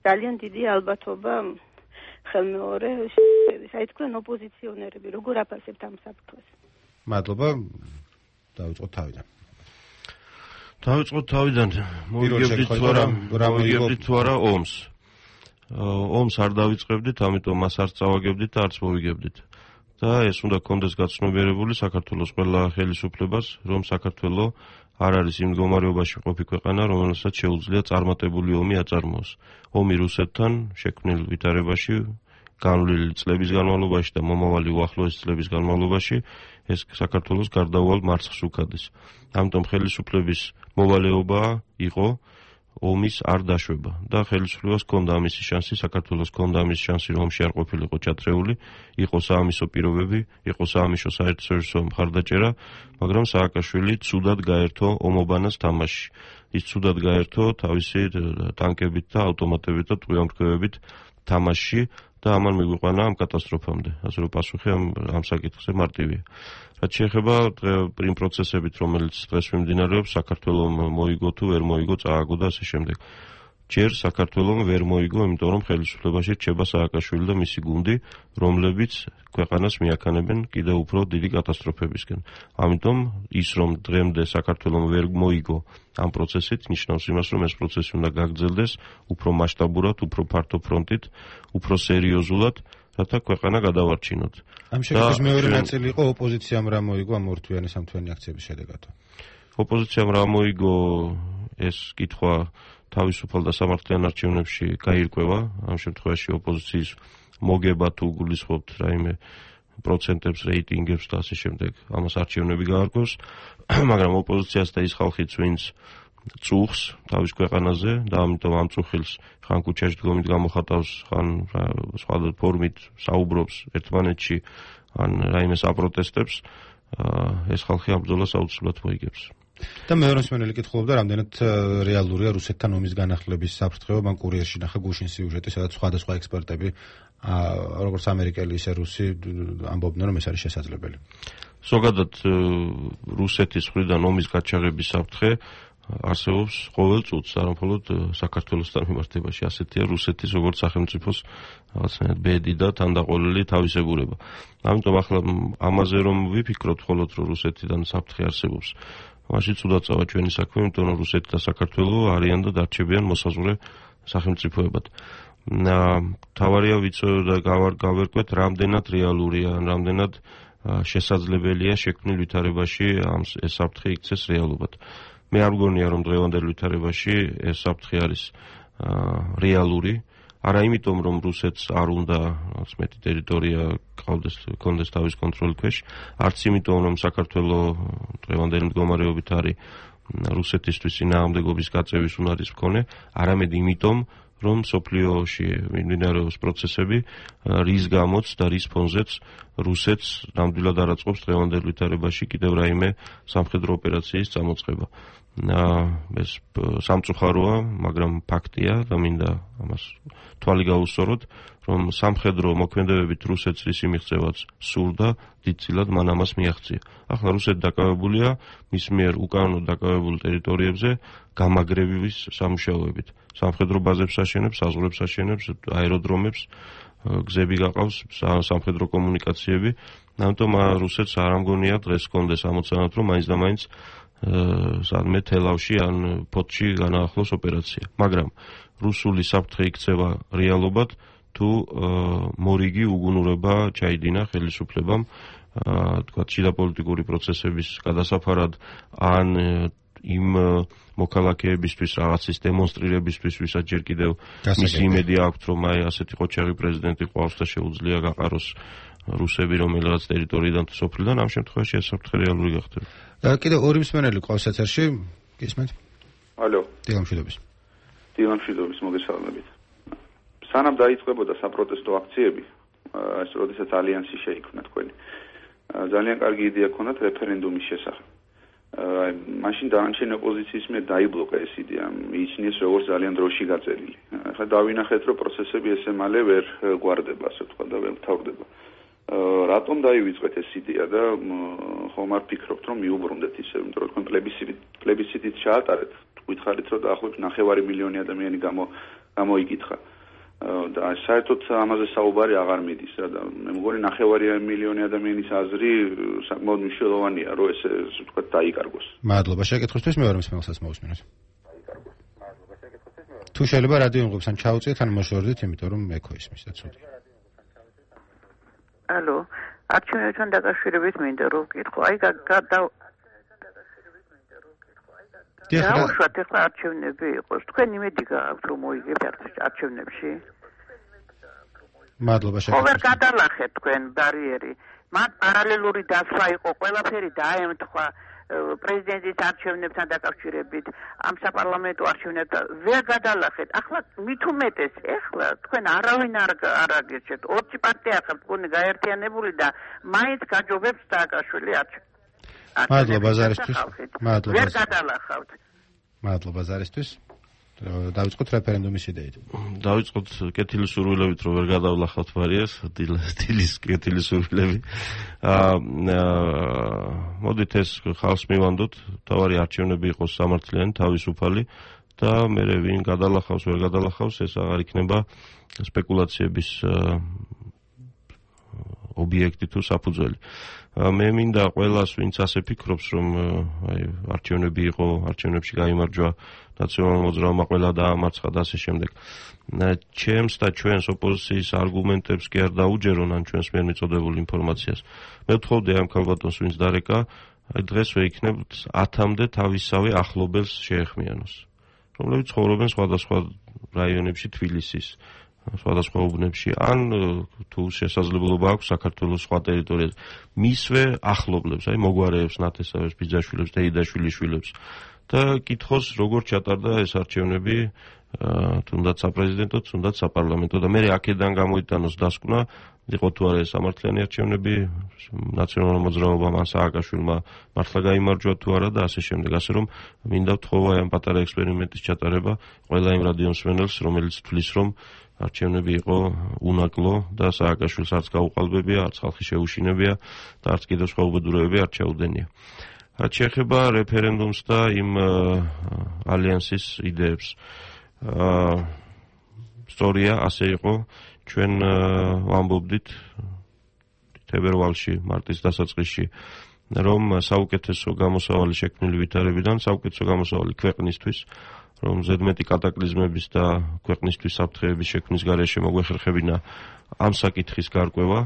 ძალიან დიდი ალბათობა ხელმეორე შედის. აი თქვენ ოპოზიციონერები როგორ აფასებთ ამ საფრთხეს? მადლობა. დავიწყოთ თავიდან. დავიწყოთ თავიდან. მოვიგებდით თუ არა, მოვიგებდით თუ არა ომს. ომს არ დავიწყებდით, ამიტომ მას არ წავაგებდით და არც მოვიგებდით. და ეს უნდა კონდეს გაცნობიერებული საქართველოს ყველა ხელისუფლებას, რომ საქართველო არ არის იმ მდგომარეობაში ყოფი ქვეყანა, რომელსაც შეუძლია წარმატებული ომი აწარმოოს. ომი რუსეთთან შექმნილ ვითარებაში განვლილი წლების განმავლობაში და მომავალი უახლოესი წლების განმავლობაში ეს საქართველოს გარდაუვალ მარცხს უქადეს. ამიტომ ხელისუფლების მოვალეობა იყო ომის არ დაშვება და ხელისუფლებას ჰქონდა ამისი შანსი, საქართველოს ჰქონდა ამისი შანსი, რომ ომში არ ყოფილიყო ჩათრეული, იყო საამისო პირობები, იყო საამისო საერთაშორისო მხარდაჭერა, მაგრამ სააკაშვილი ცუდად გაერთო ომობანას თამაში. ის ცუდად გაერთო თავისი ტანკებით და ავტომატებით და ტყვიამთქვევებით თამაში და ამან მიგვიყვანა ამ კატასტროფამდე. ასე რომ პასუხი ამ ამ საკითხზე მარტივია. რაც შეეხება პრიმ პროცესებით, რომელიც დღეს მიმდინარეობს, საქართველოს მოიგო თუ ვერ მოიგო, წააგო და ასე შემდეგ. ჯერ საქართველოს ვერ მოიგო, იმიტომ რომ ხელისუფლებაში რჩება სააკაშვილი და მისი გუნდი, რომლებიც ქვეყანას მიაქანებენ კიდევ უფრო დიდი კატასტროფებისკენ. ამიტომ ის რომ დღემდე საქართველოს ვერ მოიგო ამ პროცესით, ნიშნავს იმას, რომ ეს პროცესი უნდა გაგრძელდეს უფრო მასშტაბურად, უფრო ფართო ფრონტით, უფრო სერიოზულად, რათა ქვეყანა გადავარჩინოთ. ამ შედეგის მეორე ნაწილი იყო ოპოზიციამ რა მოიგო ამ ორთვიანი სამთვიანი აქციების შედეგად. ოპოზიციამ რა მოიგო ეს კითხვა თავისუფალ და სამართლიან არჩევნებში გაირკვევა. ამ შემთხვევაში ოპოზიციის მოგება თუ გულისხმობთ რაიმე პროცენტებს, რეიტინგებს და ასე შემდეგ, ამას არჩევნები გაარკვევს, მაგრამ ოპოზიციას და ის ხალხიც, ვინც წუხს თავის ქვეყანაზე და ამიტომ ამ წუხილს ხან ქუჩაში დგომით გამოხატავს, ხან სხვადასხვა ფორმით საუბრობს ერთმანეთში, ან რაიმეს აპროტესტებს, ეს ხალხი ამ ბრძოლას აუცილებლად მოიგებს. და მეორე მსმენელი კითხულობდა, რამდენად რეალურია რუსეთთან ომის განახლების საფრთხე. მან კურიერში ნახა გუშინ სიუჟეტი, სადაც სხვადასხვა ექსპერტები, როგორც ამერიკელი, ისე რუსი, ამბობდნენ, რომ ეს არის შესაძლებელი. ზოგადად რუსეთის მხრიდან ომის გაჩაღების საფრთხე არსებობს ყოველ წუთს, არა მხოლოდ საქართველოსთან მიმართებაში. ასეთია რუსეთის როგორც სახელმწიფოს რაღაცნაირად ბედი და თანდაყოლილი თავისებურება. ამიტომ ახლა ამაზე რომ ვიფიქროთ მხოლოდ რომ რუსეთიდან საფრთხე არსებობს, მაშინ ცუდად წავა ჩვენი საქმე, იმიტომ რომ რუსეთი და საქართველო არიან და დარჩებიან მოსაზღვრე სახელმწიფოებად. თავარია ვიცოდეთ და გავერკვეთ, რამდენად რეალურია, რამდენად შესაძლებელია შექმნილ ვითარებაში ეს საფრთხე იქცეს რეალობად. მე არ მგონია, რომ დღევანდელ ვითარებაში ეს საფრთხე არის რეალური, არა იმიტომ, რომ რუსეთს არ უნდა რაღაც მეტი ტერიტორია გქონდეს თავის კონტროლის ქვეშ, არც იმიტომ, რომ საქართველოს დღევანდელი მდგომარეობით არის რუსეთისთვის წინააღმდეგობის გაწევის უნარის მქონე, არამედ იმიტომ, რომ სოფლიოში მიმდინარეობს პროცესები, რის გამოც და რის ფონზეც რუსეთს ნამდვილად არ აწყობს დღევანდელ ვითარებაში კიდევ რაიმე სამხედრო ოპერაციის წამოწყება. ეს სამწუხაროა, მაგრამ ფაქტია და მინდა ამას თვალი გაუსწოროთ, რომ სამხედრო მოქმედებებით რუსეთს რისი მიღწევაც სურდა, დიდწილად მან ამას მიაღწია. ახლა რუსეთი დაკავებულია მის მიერ უკანონოდ დაკავებულ ტერიტორიებზე გამაგრების სამუშაოებით. სამხედრო ბაზებს აშენებს, საზღვრებს აშენებს, აეროდრომებს, გზები გაყავს, სამხედრო კომუნიკაციები. ამიტომ რუსეთს არ ამგონია დღეს კონდეს ამოცანად, რომ მაინც და მაინც სადმე თელავში ან ფოთში განაახლოს ოპერაცია. მაგრამ რუსული საფრთხე იქცევა რეალობად, თუ მორიგი უგუნურება ჩაიდინა ხელისუფლებამ, თქვა შიდა პოლიტიკური პროცესების გადასაფარად, ან იმ მოქალაქეებისთვის რაღაცის დემონსტრირებისთვის, ვისაც ჯერ კიდევ მისი იმედი აქვთ, რომ აი ასეთი ყოჩაღი პრეზიდენტი ყავს და შეუძლია გაყაროს რუსები რომელიღაც ტერიტორიიდან თუ სოფლიდან, ამ შემთხვევაში ეს საფრთხე რეალური გახდება. კიდევ ორი მსმენელი ყავს ეთერში, გისმენთ? ალო. დილამშვიდობის. დილამშვიდობის, მოგესალმებით. სანამ დაიწყებოდა საპროტესტო აქციები, ეს როდესაც ალიანსი შეიქმნა თქვენი, ძალიან კარგი იდეა ჰქონდათ რეფერენდუმის შესახებ. აი, მაშინ დანარჩენი ოპოზიციის მიერ დაიბლოკა ეს იდეა, მიიჩნიეს როგორც ძალიან დროში გაწერილი. ახლა დავინახეთ, რომ პროცესები ესე მალე ვერ გვარდება, ასე ვთქვა და ვერ მთავრდება. რატომ დაივიწყეთ ეს იდეა და ხომ არ ფიქრობთ, რომ მიუბრუნდეთ ისე, იმიტომ რომ თქვენ პლებისციტით პლებისციტით ჩაატარეთ, გითხარით, რომ დაახლოებით ნახევარი მილიონი ადამიანი გამო გამოიკითხა. და საერთოდ ამაზე საუბარი აღარ მიდის რა და მე მგონი ნახევარი მილიონი ადამიანის აზრი საკმაოდ მნიშვნელოვანია რომ ეს თქვა დაიკარგოს. მადლობა შეკითხვისთვის მე ვარ მსმენელსაც მოусმინოთ. თუ შეიძლება რადიო იმღებს ან ჩაუწიეთ ან მოშორდით იმიტომ რომ ეკო ისმის და ცუდი. ალო, არჩევნებთან დაკავშირებით მინდა რომ ვკითხო, აი გადა დაუშვათ ახლა არჩევნები იყოს. თქვენ იმედი გააქვთ რომ მოიგებთ არჩევნებში? მადლობა შეკითხვისთვის. ხო ვერ გადალახეთ თქვენ ბარიერი. მათ პარალელური დასვა იყო, ყველაფერი დაემთხვა პრეზიდენტის არჩევნებთან დაკავშირებით, ამ საპარლამენტო არჩევნებთან ვერ გადალახეთ. ახლა მით უმეტეს, ახლა თქვენ არავინ არ არ აგერჩეთ. ორი პარტია ხართ, თქვენი გაერთიანებული და მაინც გაჯობებს სააკაშვილი არჩევნებს. მადლობა ზარისთვის. მადლობა. ვერ გადალახავთ. მადლობა ზარისთვის. დავიწყოთ რეფერენდუმის იდეით. დავიწყოთ კეთილი სურვილებით, რომ ვერ გადავლახავთ ბარიერს, დილის კეთილი სურვილები. აა მოდით ეს ხალხს მივანდოთ, თავარი არჩევნები იყოს სამართლიანი, თავისუფალი და მე ვინ გადალახავს, ვერ გადალახავს, ეს აღარ იქნება სპეკულაციების ობიექტი თუ საფუძველი. მე მინდა ყველას, ვინც ასე ფიქრობს, რომ აი არჩევნები იყო, არჩევნებში გაიმარჯვა ნაციონალურ მოძრაობამ, ყველა დაამარცხა და ასე შემდეგ. ჩემს და ჩვენს ოპოზიციის არგუმენტებს კი არ დაუჯერონ ან ჩვენს მიერ მიწოდებულ ინფორმაციას. მე ვთხოვდი ამ ქალბატონს, ვინც დარეკა, აი დღესვე იქნებთ ათამდე თავისავე ახლობელს შეეხმიანოს, რომლებიც ცხოვრობენ სხვადასხვა რაიონებში თბილისის, სხვადასხვა უბნებში, ან თუ შესაძლებლობა აქვს საქართველოს სხვა ტერიტორიაზე. მისვე ახლობლებს, აი მოგვარეებს, ნათესავებს, ბიძაშვილებს, დეიდაშვილიშვილებს და კითხოს, როგორ ჩატარდა ეს არჩევნები, თუნდაც საპრეზიდენტო, თუნდაც საპარლამენტო და მე აქედან გამოიტანოს დასკვნა, იყო თუ არა ეს სამართლიანი არჩევნები, ნაციონალურ მოძრაობამ ან სააკაშვილმა მართლა გაიმარჯვა თუ არა და ასე შემდეგ. ასე რომ მინდა ვთხოვა ამ პატარა ექსპერიმენტის ჩატარება ყველა იმ რადიო მსმენელს, რომელიც თვლის, რომ არჩევნები იყო უნაკლო და სააკაშვილს არც გაუყალბებია, არც ხალხი შეუშინებია და არც კიდევ სხვა უბედურებები არ ჩაუდენია. რაც შეეხება რეფერენდუმს და იმ ალიანსის იდეებს. სწორია, ასე იყო, ჩვენ ვამბობდით თებერვალში, მარტის დასაწყისში, რომ საუკეთესო გამოსავალი შექმნილი ვითარებიდან, საუკეთესო გამოსავალი ქვეყნისთვის, რომ ზედმეტი კატაკლიზმების და ქვეყნისთვის საფრთხეების შექმნის გარეშე მოგვეხერხებინა ამ საკითხის გარკვევა,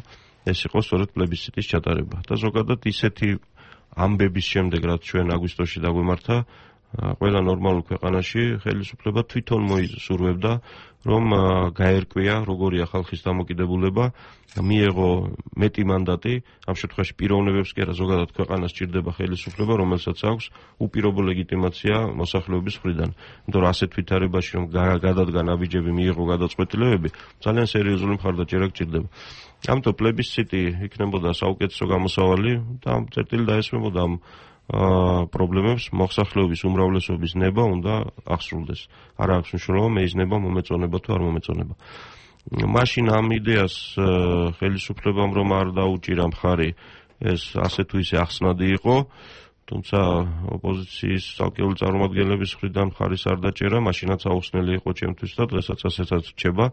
ეს იყო სწორედ პლებისციტის ჩატარება. და ზოგადად ისეთი ამბების შემდეგ, რაც ჩვენ აგვისტოში დაგვემართა, ყველა ნორმალურ ქვეყანაში ხელისუფლება თვითონ მოისურვებდა, რომ გაერკვია, როგორია ხალხის დამოკიდებულება, მიეღო მეტი მანდატი, ამ შემთხვევაში პიროვნებებს კი არა, ზოგადად ქვეყანას სჭირდება ხელისუფლება, რომელსაც აქვს უპირობო ლეგიტიმაცია მოსახლეობის მხრიდან. იმიტომ რომ ასეთ ვითარებაში, რომ გადადგა ნაბიჯები, მიიღო გადაწყვეტილებები, ძალიან სერიოზული მხარდაჭერა გჭირდება. ამიტომ პლებისციტი იქნებოდა საუკეთესო გამოსავალი და ამ წერტილი დაესმებოდა ამ პრობლემებს, მოსახლეობის უმრავლესობის ნება უნდა აღსრულდეს. არ აქვს მნიშვნელობა მეიზნება, მომეწონება თუ არ მომეწონება. მაშინ ამ იდეას ხელისუფლებამ რომ არ დაუჭირა მხარი, ეს ასე თუ ისე ახსნადი იყო, თუმცა ოპოზიციის ცალკეული წარმომადგენლების მხრიდან მხარის არ დაჭერა, მაშინაც აუხსნელი იყო ჩემთვის და დღესაც ასეცაც რჩება.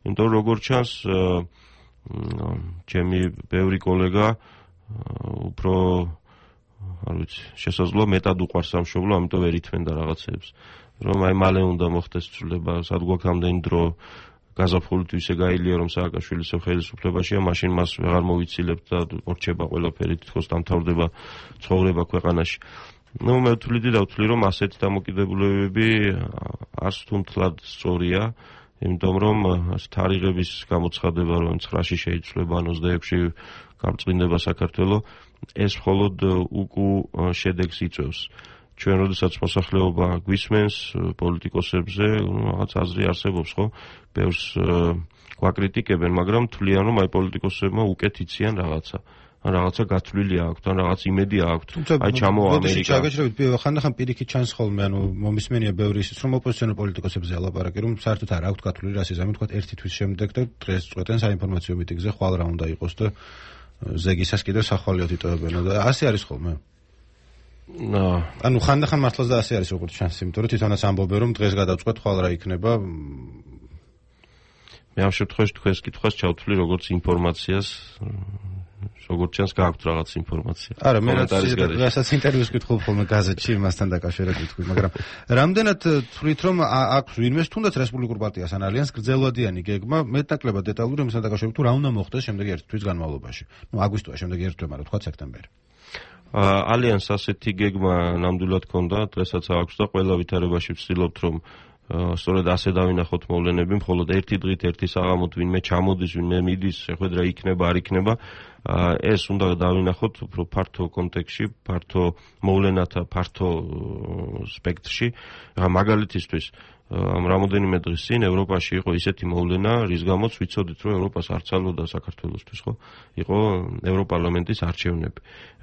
იმიტომ რომ როგორც ჩანს, ჩემი ბევრი კოლეგა უფრო არ ვიცი, შესაძლოა მეტად უყვარს სამშობლო, ამიტომ ვერ ითმენდა რაღაცებს. რომ აი მალე უნდა მოხდეს ცვლილება, სად გვაქვს ამდენი დრო, გაზაფხულით ისე გაილია, რომ სააკაშვილი ხელისუფლებაშია, მაშინ მას ვეღარ მოვიცილებთ და ორჩება ყველაფერი, თითქოს დამთავრდება ცხოვრება ქვეყანაში. ნუ მე ვთვლიდი და ვთვლი, რომ ასეთი დამოკიდებულებები არც თუ მთლად სწორია, იმიტომ რომ თარიღების გამოცხადება, რომ ცხრაში შეიცვლება, ან ოცდაექვსში გამწმინდება საქართველოს, ეს მხოლოდ უკუ შედეგს იწვევს. ჩვენ როდესაც მოსახლეობა გვისმენს პოლიტიკოსებზე, რაღაც აზრი არსებობს, ხო? ბევრს გვაკრიტიკებენ, მაგრამ თვლიან, რომ აი პოლიტიკოსებმა უკეთ იციან რაღაცა. ან რაღაცა გათვლილი აქვთ, ან რაღაც იმედი აქვთ. აი ჩამო ამერიკა. ჩაგეჭრებით, ხანდახან პირიქით ჩანს ხოლმე, ანუ მომისმენია ბევრი ისიც, რომ ოპოზიციონერ პოლიტიკოსებზე ალაპარაკი, რომ საერთოდ არ აქვთ გათვლილი რასიზმი, თქვა ერთი თვის შემდეგ და დღეს წვეტენ საინფორმაციო მიტინგზე, ხვალ რა უნდა იყოს და ზეგისას კიდევ სახვალიოთ იტოვებენო და ასე არის ხოლმე. ნო, ანუ ხანდახან მართლაც და ასე არის როგორც ჩანს, იმიტომ რომ თვითონაც ამბობენ რომ დღეს გადავწყვეტ ხვალ რა იქნება. მე ამ შემთხვევაში თქვენს კითხვას ჩავთვლი როგორც ინფორმაციას, როგორც ჩანს გააქვთ რაღაც ინფორმაცია. არა, მე რასაც ინტერვიუს ვკითხულ ხოლმე გაზეთში მასთან დაკავშირებით ვთქვი, მაგრამ რამდენად თვლით რომ აქვს ვინმეს თუნდაც რესპუბლიკურ პარტიას ან ალიანსს გრძელვადიანი გეგმა მეტნაკლებად დეტალური იმასთან დაკავშირებით თუ რა უნდა მოხდეს შემდეგი ერთი თვის განმავლობაში. ნუ აგვისტოა, შემდეგი ერთი თვე, მაგრამ თქვა სექტემბერი. ალიანსს ასეთი გეგმა ნამდვილად ჰქონდა, დღესაც აქვს და ყველა ვითარებაში ვცდილობთ რომ სწორედ ასე დავინახოთ მოვლენები, მხოლოდ ერთი დღით, ერთი საღამოთ ვინმე ჩამოდის, ვინმე მიდის, შეხვედრა იქნება, არ იქნება. ეს უნდა დავინახოთ უფრო ფართო კონტექსტში, ფართო მოვლენათა ფართო სპექტრში. მაგალითისთვის ამ რამოდენიმე დღის წინ ევროპაში იყო ისეთი მოვლენა, რის გამოც ვიცოდით, რომ ევროპას არ ცალოდა საქართველოსთვის, ხო? იყო ევროპარლამენტის არჩევნები.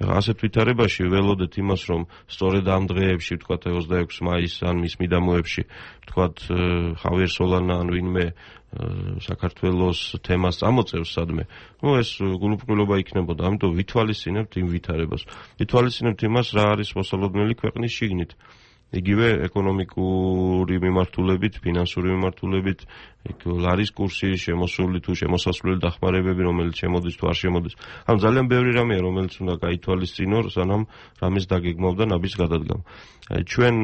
ასეთ ვითარებაში ველოდეთ იმას, რომ სწორედ ამ დღეებში, ვთქვათ ოცდაექვსი მაისს ან მის მიდამოებში, ვთქვათ ხავიერ სოლანა ან ვინმე საქართველოს თემას წამოწევს სადმე. ნუ ეს გულუბრყვილობა იქნებოდა, ამიტომ ვითვალისწინებთ იმ ვითარებას. ვითვალისწინებთ იმას, რა არის მოსალოდნელი ქვეყნის შიგნით. იგივე ეკონომიკური მიმართულებით, ფინანსური მიმართულებით, ლარის კურსი, შემოსული თუ შემოსასვლელი დახმარებები, რომელიც შემოდის თუ არ შემოდის. ამ ძალიან ბევრი რამეა, რომელიც უნდა გაითვალისწინო, სანამ რამის დაგეგმავ და ნაბის გადადგამ. ჩვენ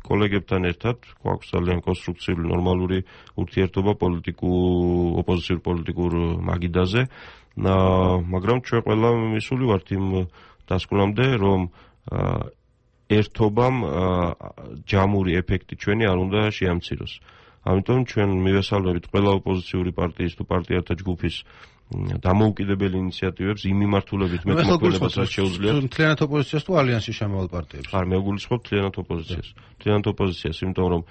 კოლეგებთან ერთად გვაქვს ძალიან კონსტრუქციული, ნორმალური ურთიერთობა პოლიტიკურ, ოპოზიციურ პოლიტიკურ მაგიდაზე, მაგრამ ჩვენ ყველა მისული ვართ იმ დასკვნამდე, რომ ერთობამ ჯამური ეფექტი ჩვენი არ უნდა შეამციროს. ამიტომ ჩვენ მივესალმებით ყველა ოპოზიციური პარტიის თუ პარტიათა ჯგუფის დამოუკიდებელი ინიციატივებს იმ მიმართულებით მეტმოქმედებას რაც შეუძლია. მთლიანად ოპოზიციას თუ ალიანსის შემავალ პარტიებს? არ მე ვგულისხმობ მთლიანად ოპოზიციას. მთლიანად ოპოზიციას, იმიტომ რომ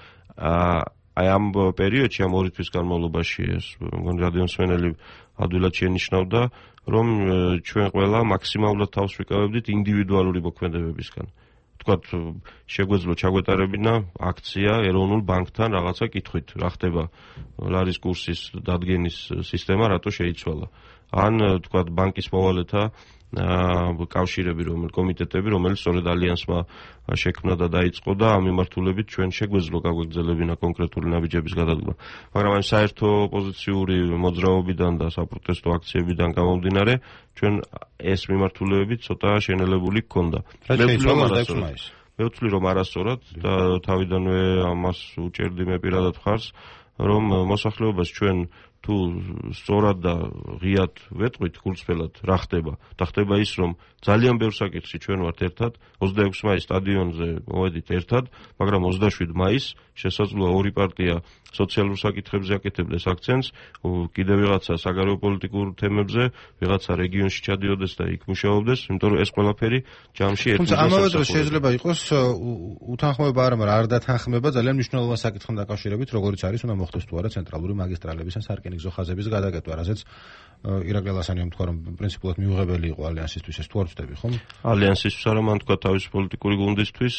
აი ამ პერიოდში, ამ ორი თვის განმავლობაში ეს მგონი რადიომსმენელი ადვილად შენიშნავდა, რომ ჩვენ ყველა მაქსიმალურად თავს ვიკავებდით ინდივიდუალური მოქმედებებისგან. თქვათ შეგვეძლო ჩაგვეტარებინა აქცია ეროვნულ ბანკთან რაღაცა კითხვით, რა ხდება ლარის კურსის დადგენის სისტემა რატო შეიცვალა. ან თქვათ ბანკის მოვალეთა კავშირები, რომელი კომიტეტები, რომელიც სწორედ ალიანსმა შექმნა და დაიწყო და ამ მიმართულებით ჩვენ შეგვეძლო გაგვეგზელებინა კონკრეტული ნაბიჯების გადადგმა. მაგრამ ამ საერთო ოპოზიციური მოძრაობიდან და საპროტესტო აქციებიდან გამომდინარე, ჩვენ ეს მიმართულებები ცოტა შენელებული გქონდა. მე ვთვლი რომ არასწორად და თავიდანვე ამას უჭერდი მე პირადად ხარს, რომ მოსახლეობას ჩვენ თუ სწორად და ღიად ვეტყვით გულწრფელად რა ხდება და ხდება ის რომ ძალიან ბევრ საკითხში ჩვენ ვართ ერთად ოცდაექვსი მაისს სტადიონზე მოვედით ერთად, მაგრამ ოცდაშვიდი მაისს შესაძლოა ორი პარტია სოციალურ საკითხებზე აკეთებდეს აქცენტს, კიდევ ვიღაცა საგარეო პოლიტიკურ თემებზე, ვიღაცა რეგიონში ჩადიოდეს და იქ მუშაობდეს, იმიტომ რომ ეს ყველაფერი ჯამში ერთ თუმცა ამავე დროს შეიძლება იყოს უთანხმოება არა, მაგრამ არ დათანხმება ძალიან მნიშვნელოვანი საკითხთან დაკავშირებით, როგორიც არის უნდა მოხდეს თუ არა ცენტრალური მაგისტრალების ან სარკინიგზო ხაზების გადაკეთვა, რასაც ირაკლი ლასანიამ თქვა რომ პრინციპულად მიუღებელი იყო ალიანსისთვის, ეს თუ არ ვწდები ხომ? ალიანსისთვის არა, მან თქვა თავის პოლიტიკური გუნდისთვის,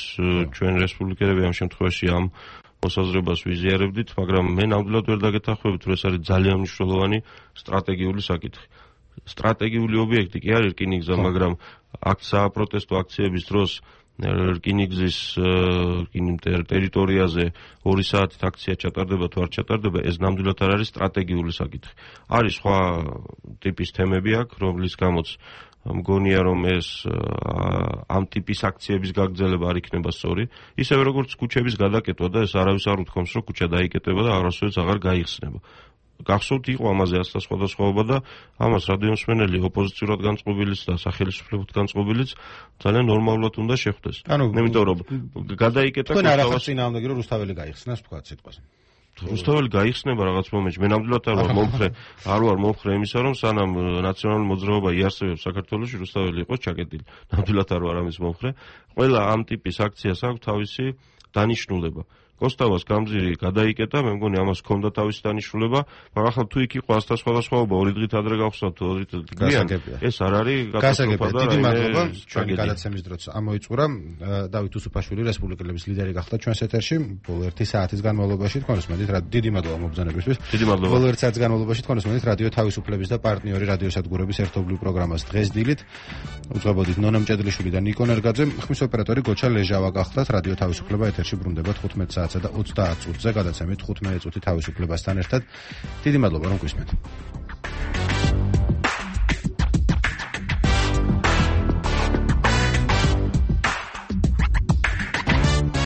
ჩვენ რესპუბლიკელები ამ შემთხვევაში ამ მოსაზრებას ვიზიარებდით, მაგრამ მე ნამდვილად ვერ დაგეთანხმებით, რომ ეს არის ძალიან მნიშვნელოვანი სტრატეგიული საკითხი. სტრატეგიული ობიექტი კი არის რკინიგზა, მაგრამ აქ საპროტესტო აქციების დროს რკინიგზის ტერიტორიაზე ორი საათით აქცია ჩატარდება თუ არ ჩატარდება, ეს ნამდვილად არ არის სტრატეგიული საკითხი. არის სხვა ტიპის თემები აქ, რომლის გამოც მგონია რომ ეს ამ ტიპის აქციების გაგრძელება არ იქნება სწორი, ისევე როგორც ქუჩების გადაკეთვა და ეს არავის არ უთქვამს რომ ქუჩა დაიკეტება და არასოდეს აღარ გაიხსნება. გახსოვთ იყო ამაზე ასთა სხვადასხვაობა და ამას რადიომსმენელი ოპოზიციურად განწყობილიც და სახელმწიფოდ განწყობილიც ძალიან ნორმალურად უნდა შეხვდეს. იმიტომ რომ გადაიკეტა თქვენ არ ახართ წინააღმდეგი რომ რუსთაველი გაიხსნას თქვათ სიტყვაზე. რუსთაველი გაიხსნება რაღაც მომენტში. მე ნამდვილად არ ვარ მომხრე, არ ვარ მომხრე იმისა, რომ სანამ ნაციონალური მოძრაობა იარსებებს საქართველოში, რუსთაველი იყოს ჩაკეტილი. ნამდვილად არ ვარ ამის მომხრე. ყველა ამ ტიპის აქციას აქვს თავისი დანიშნულება. კოსტავას გამზირი გადაიკეტა, მე მგონი ამას ჰქონდა თავისი დანიშნულება, მაგრამ ახლა თუ იქ იყო ასთა სხვადასხვაობა, ორი დღით ადრე გავხსნათ, ორი დღით გვიან, ეს არ არის კატასტროფა და დიდი მადლობა ჩვენი გადაცემის დროც ამოიწურა. დავით უსუფაშვილი რესპუბლიკელების ლიდერი გახდა ჩვენს ეთერში ბოლო ერთი საათის განმავლობაში. თქვენს მოდით რა დიდი მადლობა მობრძანებისთვის. დიდი მადლობა. ბოლო ერთი საათის განმავლობაში თქვენს მოდით რადიო თავისუფლების და პარტნიორი რადიოსადგურების ერთობლივ პროგრამას დღეს დილით უძღვებოდით ნონა მჭედლიშვილი და ნიკო ნერგაძე, ხმის ოპერატორი გოჩა ლეჟავა გახდათ. რადიო თავისუფლება ეთერში ბრუნდებათ ხუთმეტ საათსა და ოცდაათ წუთზე გადაცემით ხუთმეტი წუთი თავისუფლებასთან ერთად. დიდი მადლობა რომ გვისმენთ.